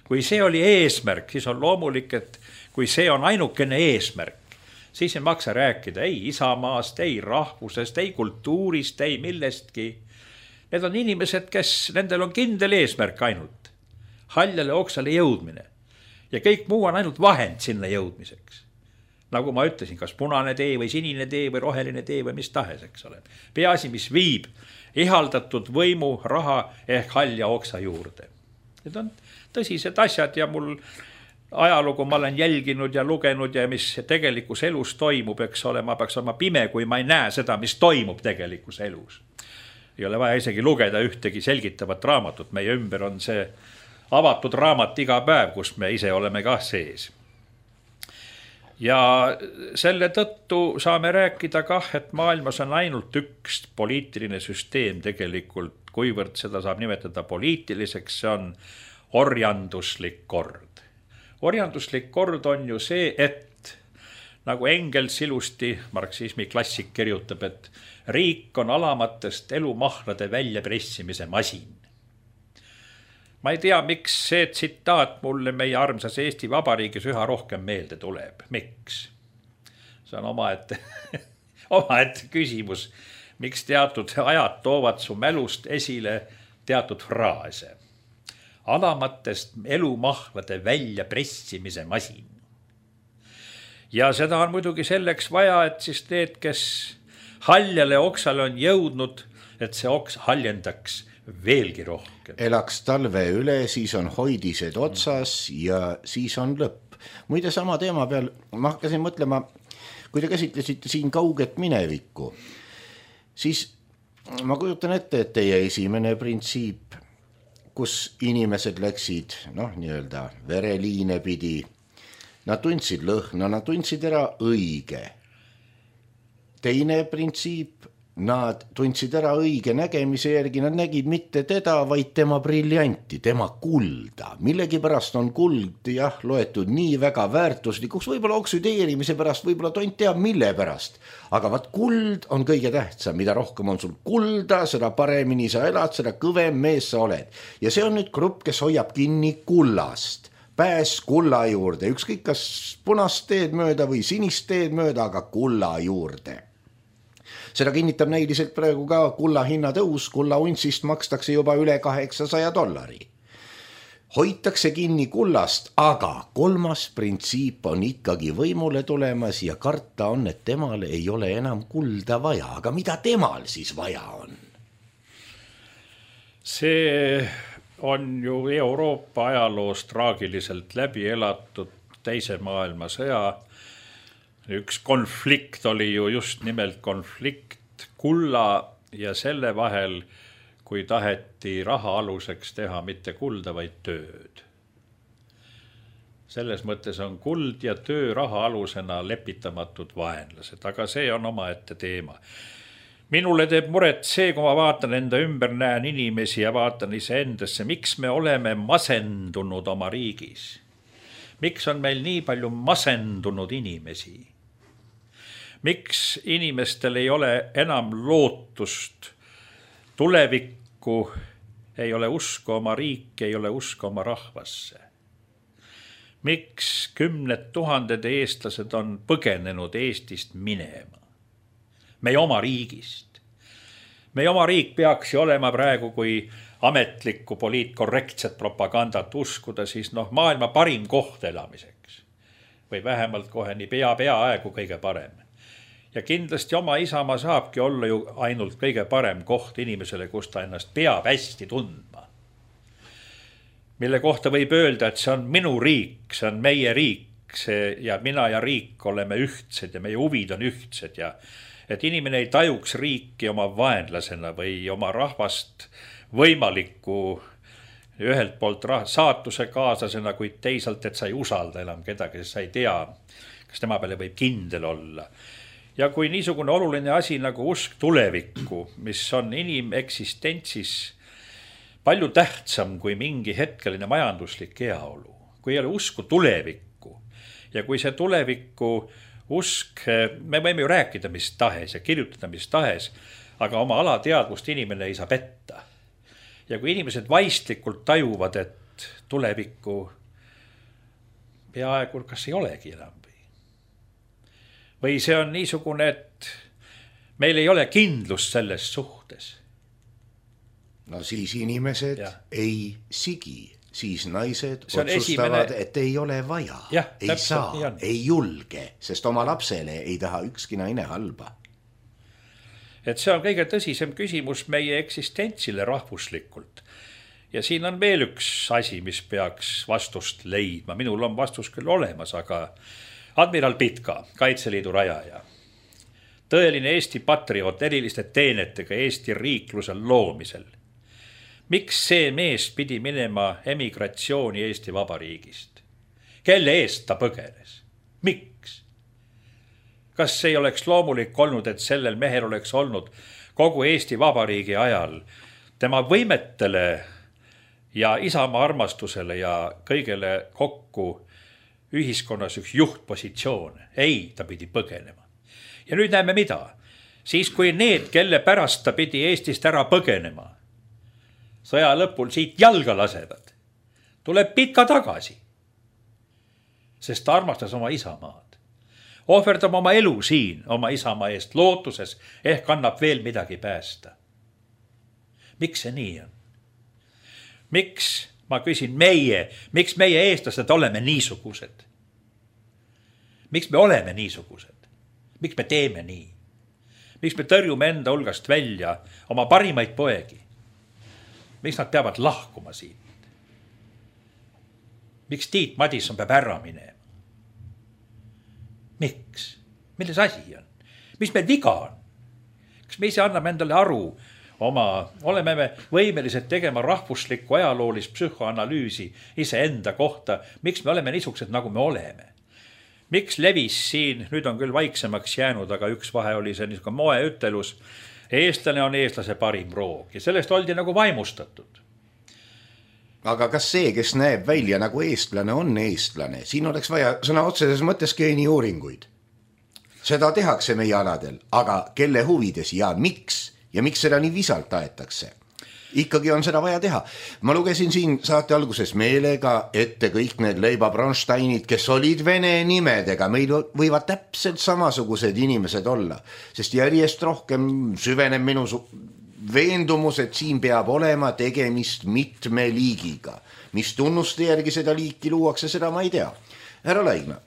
Kui see oli eesmärk, siis on loomulik, et kui see on ainukene eesmärk, siis ei maksa rääkida ei isamaast, ei rahvusest, ei kultuurist, ei millestki. Need on inimesed, kes nendel on kindel eesmärk ainult. Haljale oksale jõudmine. Ja kõik muu on ainult vahend sinna jõudmiseks. Nagu ma ütlesin, kas punane tee või sinine tee või roheline tee või mis tahes, eks ole. Peaasi, mis viib ihaldatud võimu, raha ehk halja oksa juurde. Need on tõsised asjad ja mul ajalugu ma olen jälginud ja lugenud ja mis tegelikus elus toimub, eks ole, ma peaks olema pime, kui ma ei näe seda, mis toimub tegelikus elus. Ei ole vaja isegi lugeda ühtegi selgitavat raamatut, meie ümber on see avatud raamat iga päev, kus me ise oleme ka sees. Ja selle tõttu saame rääkida kah, et maailmas on ainult üks poliitiline süsteem tegelikult, kuivõrd seda saab nimetada poliitiliseks, see on orjanduslik kord. Orjanduslik kord on ju see, et nagu Engels ilusti, marksismi klassik kirjutab, et riik on alamatest elumahlade väljapressimise masin. Ma ei tea, miks see tsitaat mulle meie armsas Eesti Vabariigis üha rohkem meelde tuleb. Miks? See on omaette, omaette küsimus, miks teatud ajad toovad su mälust esile teatud fraase. Alamatest elumahlade väljapressimise masin. Ja seda on muidugi selleks vaja, et siis need, kes haljale oksale on jõudnud, et see oks haljendaks veelgi rohkem. Elaks talve üle, siis on hoidised otsas ja siis on lõpp. Muide sama teema peal, ma hakkasin mõtlema, kui te käsitlesite siin kauget minevikku, siis ma kujutan ette, et teie esimene printsiip, kus inimesed läksid, noh, nii-öelda vereliine pidi, nad tundsid lõhna, nad tundsid ära õige. Teine printsiip, nad tundsid ära õige nägemise järgi, nad nägid mitte teda, vaid tema briljanti, tema kulda. Millegi pärast on kuld, jah, loetud nii väga väärtuslikuks, võib-olla oksüdeerimise pärast, võib-olla tont teab mille pärast. Aga vaat kuld on kõige tähtsam, mida rohkem on sul kulda, seda paremini sa elad, seda kõvem mees sa oled. Ja see on nüüd grupp, kes hoiab kinni kullast. Pääs kulla juurde, ükskõik kas punast teed mööda või sinist teed mööda, aga kulla juurde. Seda kinnitab näiliselt praegu ka kulla hinna tõus, kulla untsist makstakse juba üle kaheksasaja dollari. Hoitakse kinni kullast, aga kolmas printsiip on ikkagi võimule tulemas ja karta on, et temal ei ole enam kulda vaja. Aga mida temal siis vaja on? See on ju Euroopa ajaloos traagiliselt läbi elatud teise maailmasõja. Üks konflikt oli ju just nimelt konflikt kulla ja selle vahel, kui taheti raha aluseks teha mitte kulda, vaid tööd. Selles mõttes on kuld ja töö raha alusena lepitamatud vaenlased, aga see on omaette teema. minule teeb muret see, kui ma vaatan enda ümber, näen inimesi ja vaatan iseendasse, miks me oleme masendunud oma riigis. Miks on meil nii palju masendunud inimesi? Miks inimestel ei ole enam lootust tulevikku, ei ole usku oma riiki, ei ole usku oma rahvasse? Miks kümned tuhanded eestlased on põgenenud Eestist minema? Meie oma riigist. Meie oma riik peaks ju olema praegu, kui ametlikku poliitkorrektset propagandat uskuda, siis noh, maailma parim koht elamiseks. Või vähemalt kohe nii pea peaaegu kõige parem. Ja kindlasti oma isamaa saabki olla ju ainult kõige parem koht inimesele, kus ta ennast peab hästi tundma. Mille kohta võib öelda, et see on minu riik, see on meie riik see, ja mina ja riik oleme ühtsed ja meie huvid on ühtsed ja et inimene ei tajuks riiki oma vaenlasena või oma rahvast võimaliku ühelt poolt saatuse kaaslasena, kuid teisalt, et sa ei usalda enam kedagi, sest sa ei tea, kas tema peale võib kindel olla. Ja kui niisugune oluline asi nagu usk tulevikku, mis on inimeksistentsis palju tähtsam kui mingi hetkeline majanduslik heaolu, kui ei ole usku tulevikku ja kui see tulevikku usk, me võime ju rääkida mis tahes ja kirjutada mis tahes, aga oma alateadvust inimene ei saa petta. Ja kui inimesed vaistlikult tajuvad, et tulevikku peaaegu kas ei olegi enam või. Või see on niisugune, et meil ei ole kindlust selles suhtes. No siis inimesed ja. ei sigi, siis naised see otsustavad, esimene... et ei ole vaja, ja, ei saa, ei julge, sest oma lapsele ei taha ükski naine halba. Et see on kõige tõsisem küsimus meie eksistentsile rahvuslikult. Ja siin on veel üks asi, mis peaks vastust leidma. Minul on vastus küll olemas, aga admiral Pitka, Kaitseliidu rajaja, tõeline Eesti patrioot eriliste teenetega Eesti riiklusel loomisel. Miks see mees pidi minema emigratsiooni Eesti Vabariigist? Kelle eest ta põgenes? Miks? Kas see ei oleks loomulik olnud, et sellel mehel oleks olnud kogu Eesti Vabariigi ajal tema võimetele ja isamaa armastusele ja kõigele kokku ühiskonnas üks juhtpositsioon? Ei, ta pidi põgenema. Ja nüüd näeme mida? Siis kui need, kelle pärast ta pidi Eestist ära põgenema, sõja lõpul siit jalga lasevad, tuleb Pitka tagasi, sest ta armastas oma isamaad. Ohverdab oma elu siin, oma isamaa eest lootuses, ehk annab veel midagi päästa. Miks see nii on? Miks, ma küsin meie, miks meie eestlased oleme niisugused? Miks me oleme niisugused? Miks me teeme nii? Miks me tõrjume enda hulgast välja oma parimaid poegi? Miks nad peavad lahkuma siit? Miks Tiit Madison peab ära minema? Miks? Milles asi on? Mis meil viga on? Kas me ise anname endale aru oma, oleme me võimelised tegema rahvuslikku ajaloolist psühhoanalüüsi ise enda kohta, miks me oleme niisugused, nagu me oleme? Miks levis siin, nüüd on küll vaiksemaks jäänud, aga üks vahe oli see niisugune moeütelus, eestlane on eestlase parim roog ja sellest oldi nagu vaimustatud. Aga kas see, kes näeb välja nagu eestlane, on eestlane? Siin oleks vaja sõna otseses mõttes geeniuuringuid. Seda tehakse meie aladel, aga kelle huvides ja miks? Ja miks seda nii visalt aetakse? Ikkagi on seda vaja teha. Ma lugesin siin saate alguses meelega ette kõik need Leiba Bronsteinid, kes olid vene nimedega. Meil võivad täpselt samasugused inimesed olla, sest järjest rohkem süveneb minu veendumus, et siin peab olema tegemist mitme liigiga. Mis tunnuste järgi seda liiki luuakse, seda ma ei tea. Härra Laigna,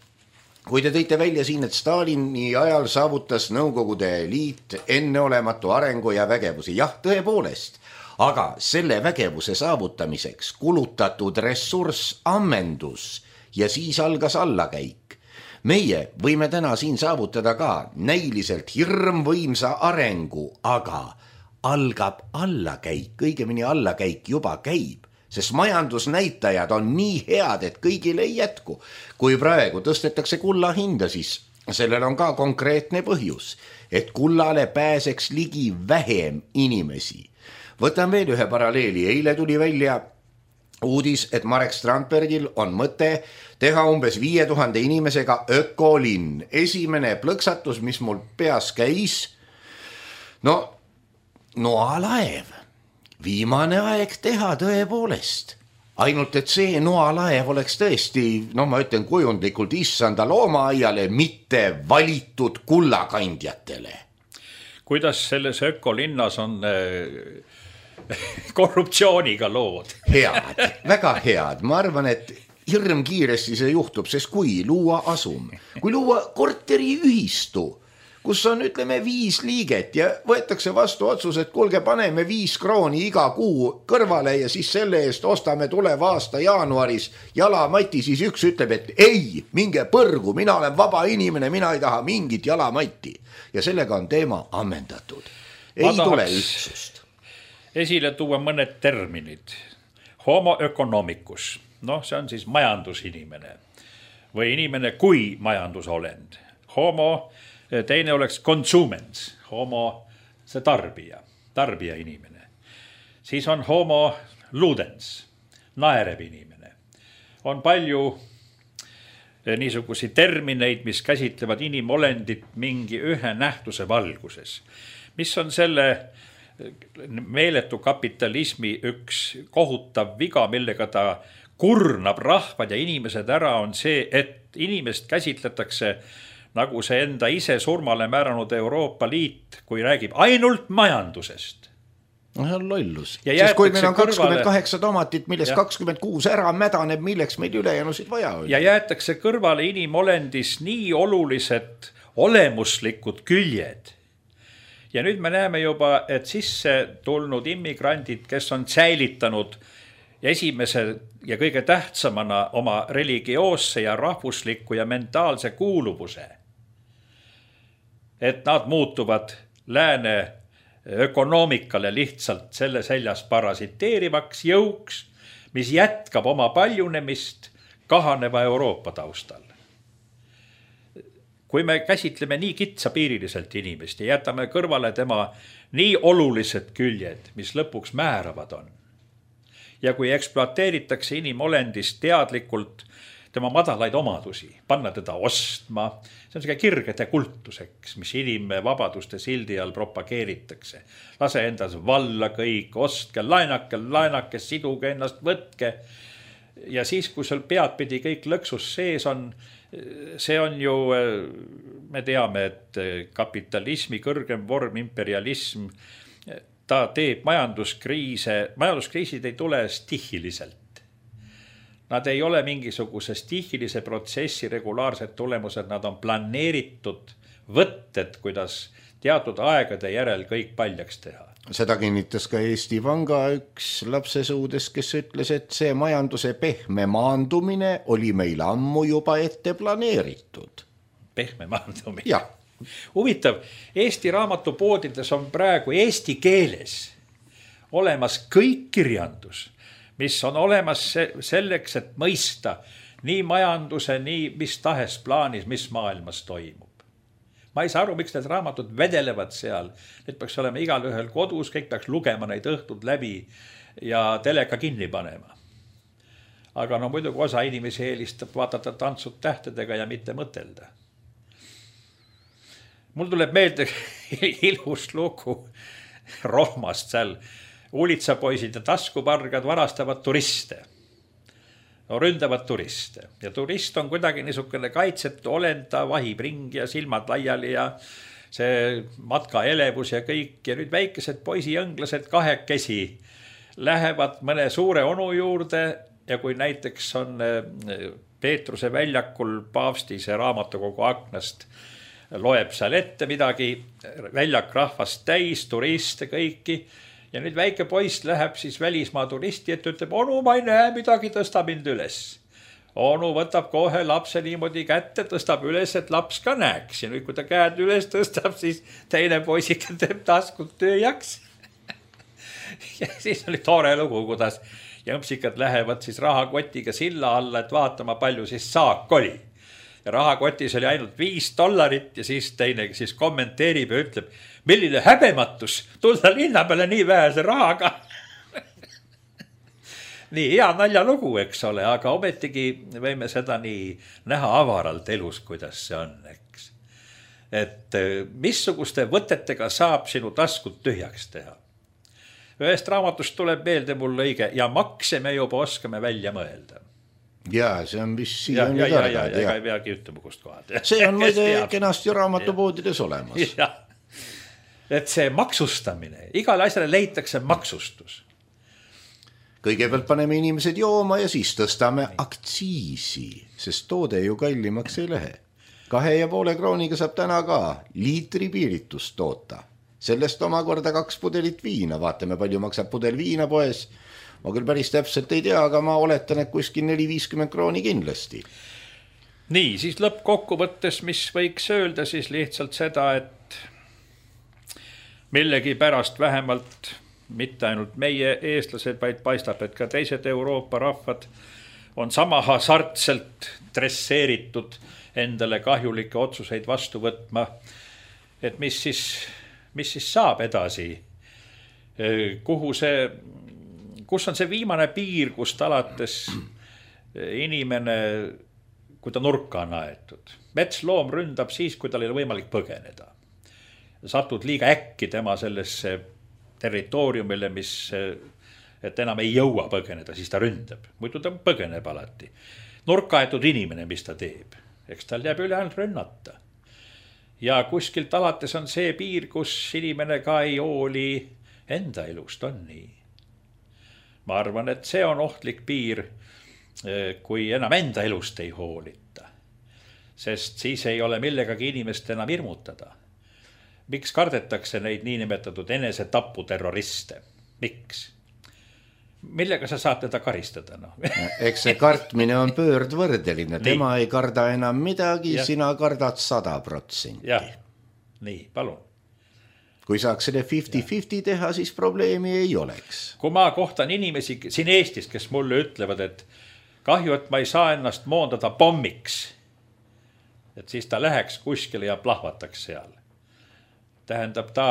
kui te tõite välja siin, et Stalini ajal saavutas Nõukogude Liit enneolematu arengu ja vägevusi. Jah, tõepoolest. Aga selle vägevuse saavutamiseks kulutatud ressurss ammendus ja siis algas allakäik. Meie võime täna siin saavutada ka näiliselt hirmvõimsa arengu, aga algab allakäik, õigemini allakäik juba käib, sest majandusnäitajad on nii head, et kõigile ei jätku. Kui praegu tõstetakse kulla hinda, siis sellel on ka konkreetne põhjus, et kullale pääseks ligi vähem inimesi. Võtan veel ühe paralleeli. Eile tuli välja uudis, et Marek Strandbergil on mõte teha umbes viie tuhande inimesega ökolinn. Esimene plõksatus, mis mul peas käis, no noalaev. Viimane aeg teha tõepoolest. Ainult, et see noalaev oleks tõesti, no ma ütlen kujundlikult issanda loomaaiale, mitte valitud kullakandjatele. Kuidas selles ökolinnas on korruptsiooniga lood? Head, väga head. Ma arvan, et hirm kiiresti see juhtub, sest kui luua asum, kui luua korteriühistu, kus on, ütleme, viis liiget ja võetakse vastu otsus, et kuulge, paneme viis krooni iga kuu kõrvale ja siis selle eest ostame tuleva aasta jaanuaris jalamati, siis üks ütleb, et ei, minge põrgu, mina olen vaba inimene, mina ei taha mingit jalamatti. Ja sellega on teema ammendatud. Ei tule ühtsust. Esile tuua mõned terminid. Homo economicus, noh, see on siis majandusinimene või inimene kui majandusolend. Homo teine oleks consumens, homo, see tarbija, tarbija inimene. Siis on homo ludens, naerev inimene. On palju niisugusi termineid, mis käsitlevad inimolendit mingi ühe nähtuse valguses. Mis on selle meeletu kapitalismi üks kohutav viga, millega ta kurnab rahvad ja inimesed ära, on see, et inimest käsitletakse nagu see enda ise surmale määranud Euroopa Liit, kui räägib ainult majandusest. No see on lollus. Sest kui meil on kakskümmend kaheksa tomatit, millest ja. kakskümmend kuus ära mädaneb, milleks meil ülejäänusid vaja on. Ja jäetakse kõrvale inimolendis nii olulised olemuslikud küljed. Ja nüüd me näeme juba, et sisse tulnud immigrandid, kes on säilitanud esimese ja kõige tähtsamana oma religioosse ja rahvusliku ja mentaalse kuuluvuse, et nad muutuvad lääne ökonoomikale lihtsalt selle seljas parasiteerivaks jõuks, mis jätkab oma paljunemist kahaneva Euroopa taustal. Kui me käsitleme nii kitsapiiriliselt inimest ja jätame kõrvale tema nii olulised küljed, mis lõpuks määravad on, ja kui ekspluateeritakse inimolendist teadlikult tema madalaid omadusi, panna teda ostma, see on selline kirgede kultuseks, mis inimvabaduste sildi all propageeritakse. Lase endas valla kõik, ostke, laenake, laenake, siduge ennast, võtke. Ja siis, kui sul pead pidi kõik lõksus sees on, see on ju, me teame, et kapitalismi kõrgem vorm, imperialism, ta teeb majanduskriise, majanduskriisid ei tule stihiliselt. Nad ei ole mingisuguse stihilise protsessi regulaarsed tulemused, nad on planeeritud võtted, kuidas teatud aegade järel kõik paljaks teha. Seda kinnitas ka Eesti Panga üks lapsesuudes, kes ütles, et see majanduse pehme maandumine oli meil ammu juba ette planeeritud. Pehme maandumine? Jah. Huvitav, Eesti raamatupoodides on praegu eesti keeles olemas kõik kirjandus, mis on olemas selleks, et mõista nii majanduse, nii mis tahes plaanis, mis maailmas toimub. Ma ei saa aru, miks need raamatud vedelevad seal. Need peaks olema igal ühel kodus, kõik peaks lugema neid õhtud läbi ja teleka kinni panema. Aga no muidugi osa inimesi eelistab vaadata tantsud tähtedega ja mitte mõtelda. Mul tuleb meelde ilus lugu Rohmast seal. Uulitsapoisid ja taskupargad varastavad turiste. No, ründavad turiste. Ja turist on kuidagi niisugune kaitsetu olenda, vahib ringi ja silmad laiali ja see matka elevus ja kõik. Ja nüüd väikesed poisijõnglased kahekesi lähevad mõne suure onu juurde ja kui näiteks on Peetruse väljakul paavsti see raamatukogu aknast loeb seal ette midagi, väljak rahvast täis, turiste kõiki. Ja nüüd väike poiss läheb siis välismaa turisti, et ütleb, onu, ma ei näe midagi, tõsta mind üles. Onu võtab kohe lapse niimoodi kätte, tõstab üles, et laps ka näeks. Ja nüüd, kui ta käed üles tõstab, siis teine poisike teeb taskut tööjaks. Ja siis oli tore lugu, kuidas jõmpsikad lähevad siis rahakotiga silla alla, et vaatama palju siis saak oli. rahakotis oli ainult viis dollarit ja siis teine siis kommenteerib ja ütleb, milline häbematus tulla linna peale nii vähese rahaga. Nii hea naljalugu, eks ole, aga ometigi võime seda nii näha avaralt elus, kuidas see on, eks. Et missuguste võtetega saab sinu taskut tühjaks teha. Ühest raamatust tuleb meelde mul õige ja makse me juba oskame välja mõelda. Jaa, see on vist ja, ja, ja, ja, ja ega ei peagi ütlema kust kohad. See on muide kenasti raamatupoodides olemas. Ja. Et see maksustamine, igale asjale leitakse maksustus. Kõigepealt paneme inimesed jooma ja siis tõstame aktsiisi, sest toode ju kallimaks ei lähe. Kahe ja poole krooniga saab täna ka liitri piiritust toota. Sellest omakorda kaks pudelit viina, vaatame palju maksab pudel viina poes. Ma küll päris täpselt ei tea, aga ma oletan, et kuskil neli viiskümmend krooni kindlasti. Nii, siis lõppkokkuvõttes, mis võiks öelda siis lihtsalt seda, et millegi pärast vähemalt mitte ainult meie eestlased, vaid paistab, et ka teised Euroopa rahvad on sama hasartselt dresseeritud endale kahjulikke otsuseid vastu võtma. Et mis siis, mis siis saab edasi? Kuhu see, kus on see viimane piir, kust alates inimene, kui ta nurka on aetud? Metsloom ründab siis, kui tal ei ole võimalik põgeneda. Satud liiga äkki tema sellesse territooriumile, mis, et enam ei jõua põgeneda, siis ta ründab. Muidu ta põgeneb alati. Nurkaetud inimene, mis ta teeb. Eks tal jääb üle ainult rünnata. Ja kuskilt alates on see piir, kus inimene ka ei hooli enda elust, on nii. Ma arvan, et see on ohtlik piir, kui enam enda elust ei hoolita. Sest siis ei ole millegagi inimest enam hirmutada. Miks kardetakse neid niinimetatud enesetapu terroriste? Miks? Millega sa saad teda karistada? No? Eks see kartmine on pöördvõrdeline. Tema nii. Ei karda enam midagi, ja. Sina kardad sada protsenti. Jah, nii, palun. Kui saaks selle viiskümmend viiskümmend teha, siis probleemi ei oleks. Kui ma kohtan inimesi siin Eestis, kes mulle ütlevad, et kahju, et ma ei saa ennast moondada pommiks, et siis ta läheks kuskile ja plahvataks seal. Tähendab, ta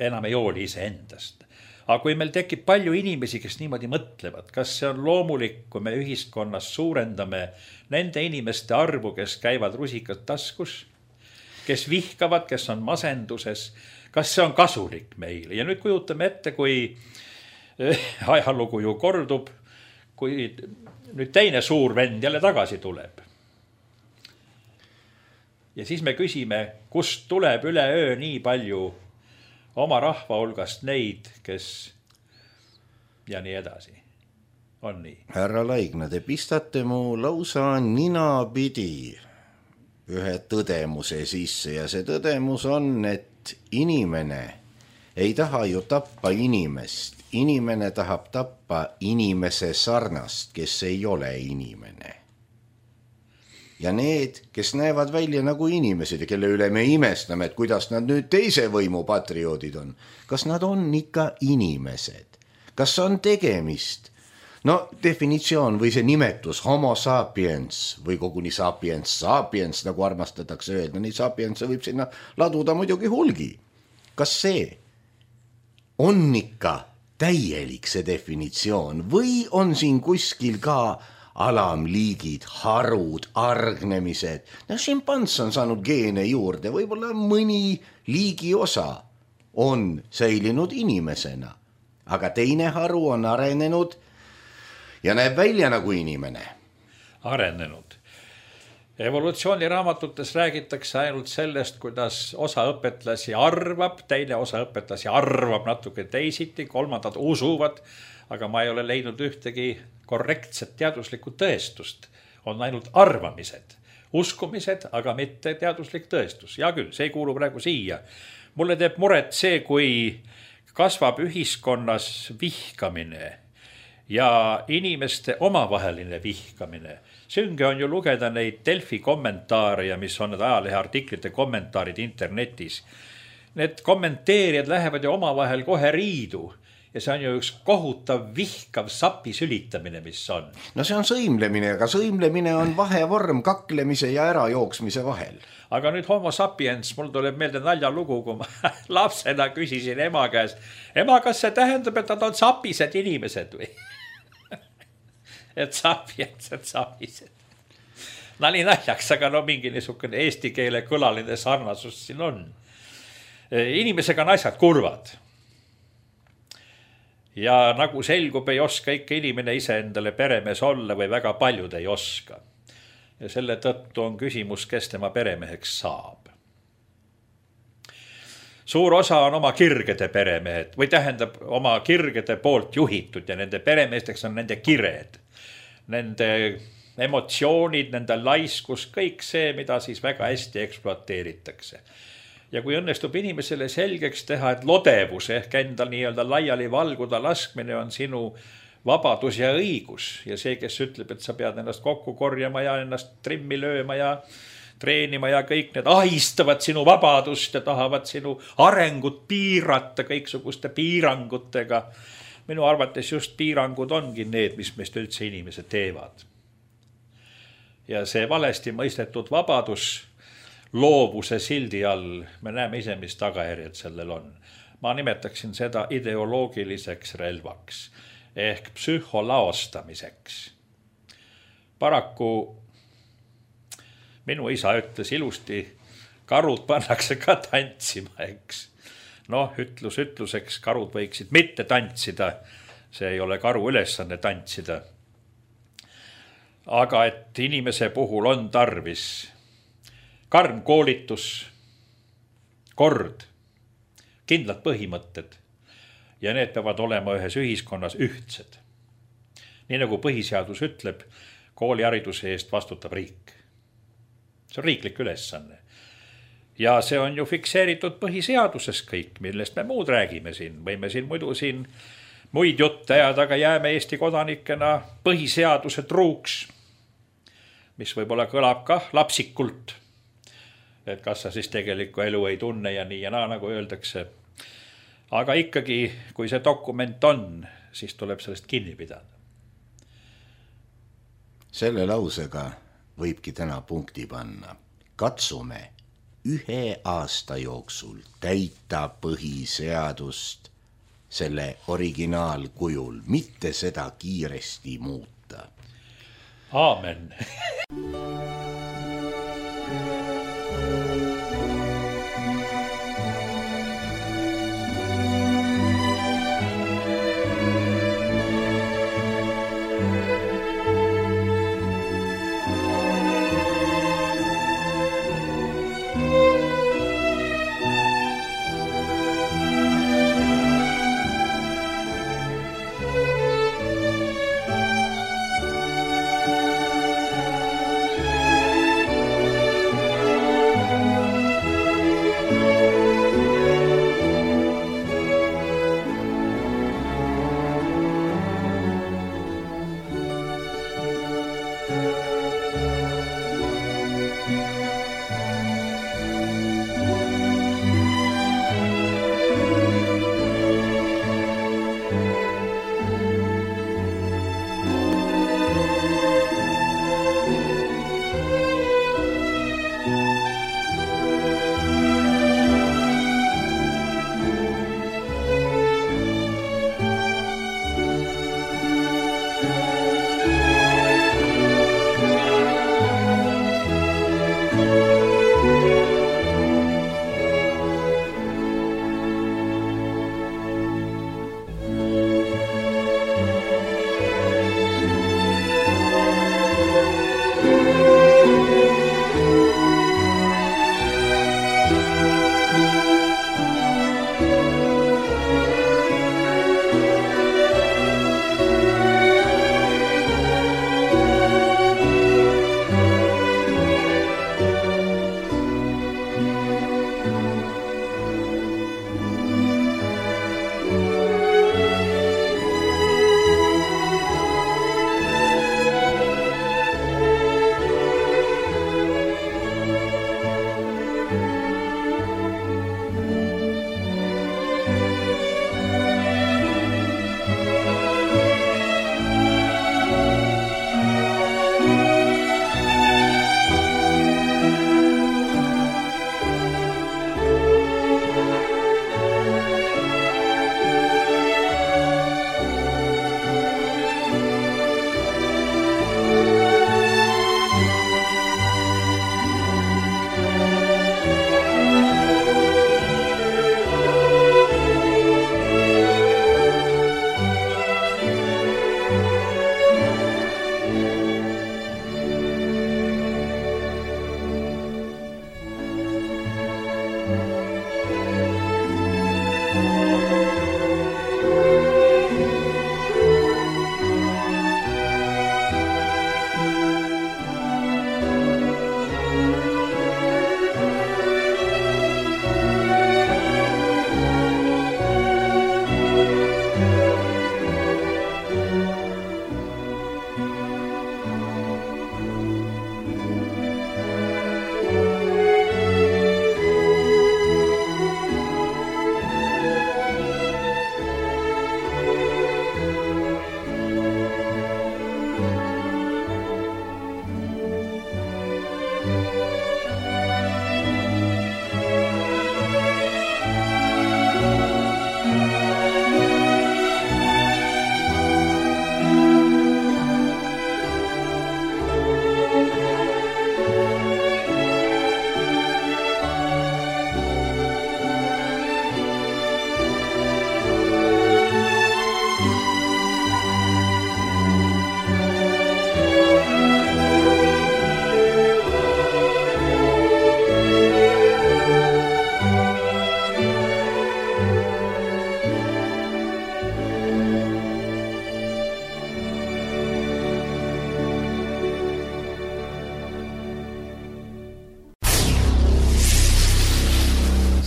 enam ei hooli ise endast. Aga kui meil tekib palju inimesi, kes niimoodi mõtlevad, kas see on loomulik, kui me ühiskonnas suurendame nende inimeste arvu, kes käivad rusikad taskus, kes vihkavad, kes on masenduses, kas see on kasulik meile? Ja nüüd kujutame ette, kui ajalugu ju kordub, kui nüüd teine suur vend jälle tagasi tuleb. Ja siis me küsime, kust tuleb üle öö nii palju oma rahva hulgast neid, kes ja nii edasi. On nii. Härra Laigna, te pistate mu lausa ninapidi ühe tõdemuse sisse ja see tõdemus on, et inimene ei taha ju tappa inimest. Inimene tahab tappa inimese sarnast, kes ei ole inimene. Ja need, kes näevad välja nagu inimesed ja kelle üle me imestame, et kuidas nad nüüd teise võimu patrioodid on. Kas nad on ikka inimesed? Kas on tegemist? No definitsioon või see nimetus homo sapiens või koguni sapiens sapiens, nagu armastatakse öelda, nii sapiens võib sinna laduda muidugi hulgi. Kas see on ikka täielik see definitsioon või on siin kuskil ka alamliigid, harud, argnemised? No šimpans on saanud geene juurde, võib-olla mõni liigi osa on säilinud inimesena, aga teine haru on arenenud ja näeb välja nagu inimene. Arenenud. Evolutsiooniraamatutes räägitakse ainult sellest, kuidas osa õpetlasi arvab, teine osa õpetlasi arvab natuke teisiti, kolmandad usuvad, aga ma ei ole leidnud ühtegi korrektset teaduslikku tõestust. On ainult arvamised, uskumised, aga mitte teaduslik tõestus. Ja küll, see ei kuulu praegu siia. Mulle teeb muret see, kui kasvab ühiskonnas vihkamine ja inimeste omavaheline vihkamine. Sünge on ju lugeda neid Delfi kommentaare ja mis on need ajalehe artiklite kommentaarid internetis. Need kommenteerijad lähevad ju omavahel kohe riidu ja see on ju üks kohutav vihkav sapi sülitamine, mis on. No see on sõimlemine, aga sõimlemine on vahevorm kaklemise ja ärajooksmise vahel. Aga nüüd homo sapiens, mul tuleb meelde naljalugu, kui ma lapsena küsisin ema käes, ema, kas see tähendab, et nad on sapised inimesed või? et sapiens, et sapised. Nali naljaks, aga no mingi niisugune eesti keele kõlaline sarnasus siin on. Inimesega on asjad kurvad. Ja nagu selgub, ei oska ikka inimene ise endale peremees olla või väga paljud ei oska. Ja selle tõttu on küsimus, kes tema peremeheks saab. Suur osa on oma kirgede peremehed või tähendab oma kirgede poolt juhitud ja nende peremeesteks on nende kired. Nende emotsioonid, nende laiskus, kõik see, mida siis väga hästi ekspluateeritakse. Ja kui õnnestub inimesele selgeks teha, et lodevus ehk endal nii-öelda laiali valguda laskmine on sinu vabadus ja õigus ja see, kes ütleb, et sa pead ennast kokku korjama ja ennast trimmi lööma ja treenima ja kõik need ahistavad sinu vabadust ja tahavad sinu arengut piirata kõiksuguste piirangutega. Minu arvates just piirangud ongi need, mis meist üldse inimesed teevad. Ja see valesti mõistetud vabadus loovuse sildi all, me näeme ise, mis tagajärjed sellel on. Ma nimetaksin seda ideoloogiliseks relvaks ehk psühholaostamiseks. Paraku minu isa ütles ilusti, karud pannakse ka tantsima, eks. Noh, ütlus ütluseks, karud võiksid mitte tantsida, see ei ole karu ülesanne tantsida. Aga et inimese puhul on tarvis karm koolitus, kord, kindlad põhimõtted ja need peavad olema ühes ühiskonnas ühtsed. Nii nagu põhiseadus ütleb, koolihariduse eest vastutab riik. See on riiklik ülesanne. Ja see on ju fikseeritud põhiseaduses kõik, millest me muud räägime siin. Võime siin muidu siin muid jutte ajada, aga jääme Eesti kodanikena põhiseaduse truuks, mis võib-olla kõlab ka lapsikult. Et kas sa siis tegelikku elu ei tunne ja nii ja naa, nagu öeldakse. Aga ikkagi, kui see dokument on, siis tuleb sellest kinni pidada. Selle lausega võibki täna punkti panna. Katsume ühe aasta jooksul täita põhiseadust selle originaalkujul, mitte seda kiiresti muuta. Aamen.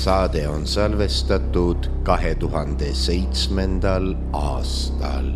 saade on salvestatud kahe tuhande seitsmendal aastal.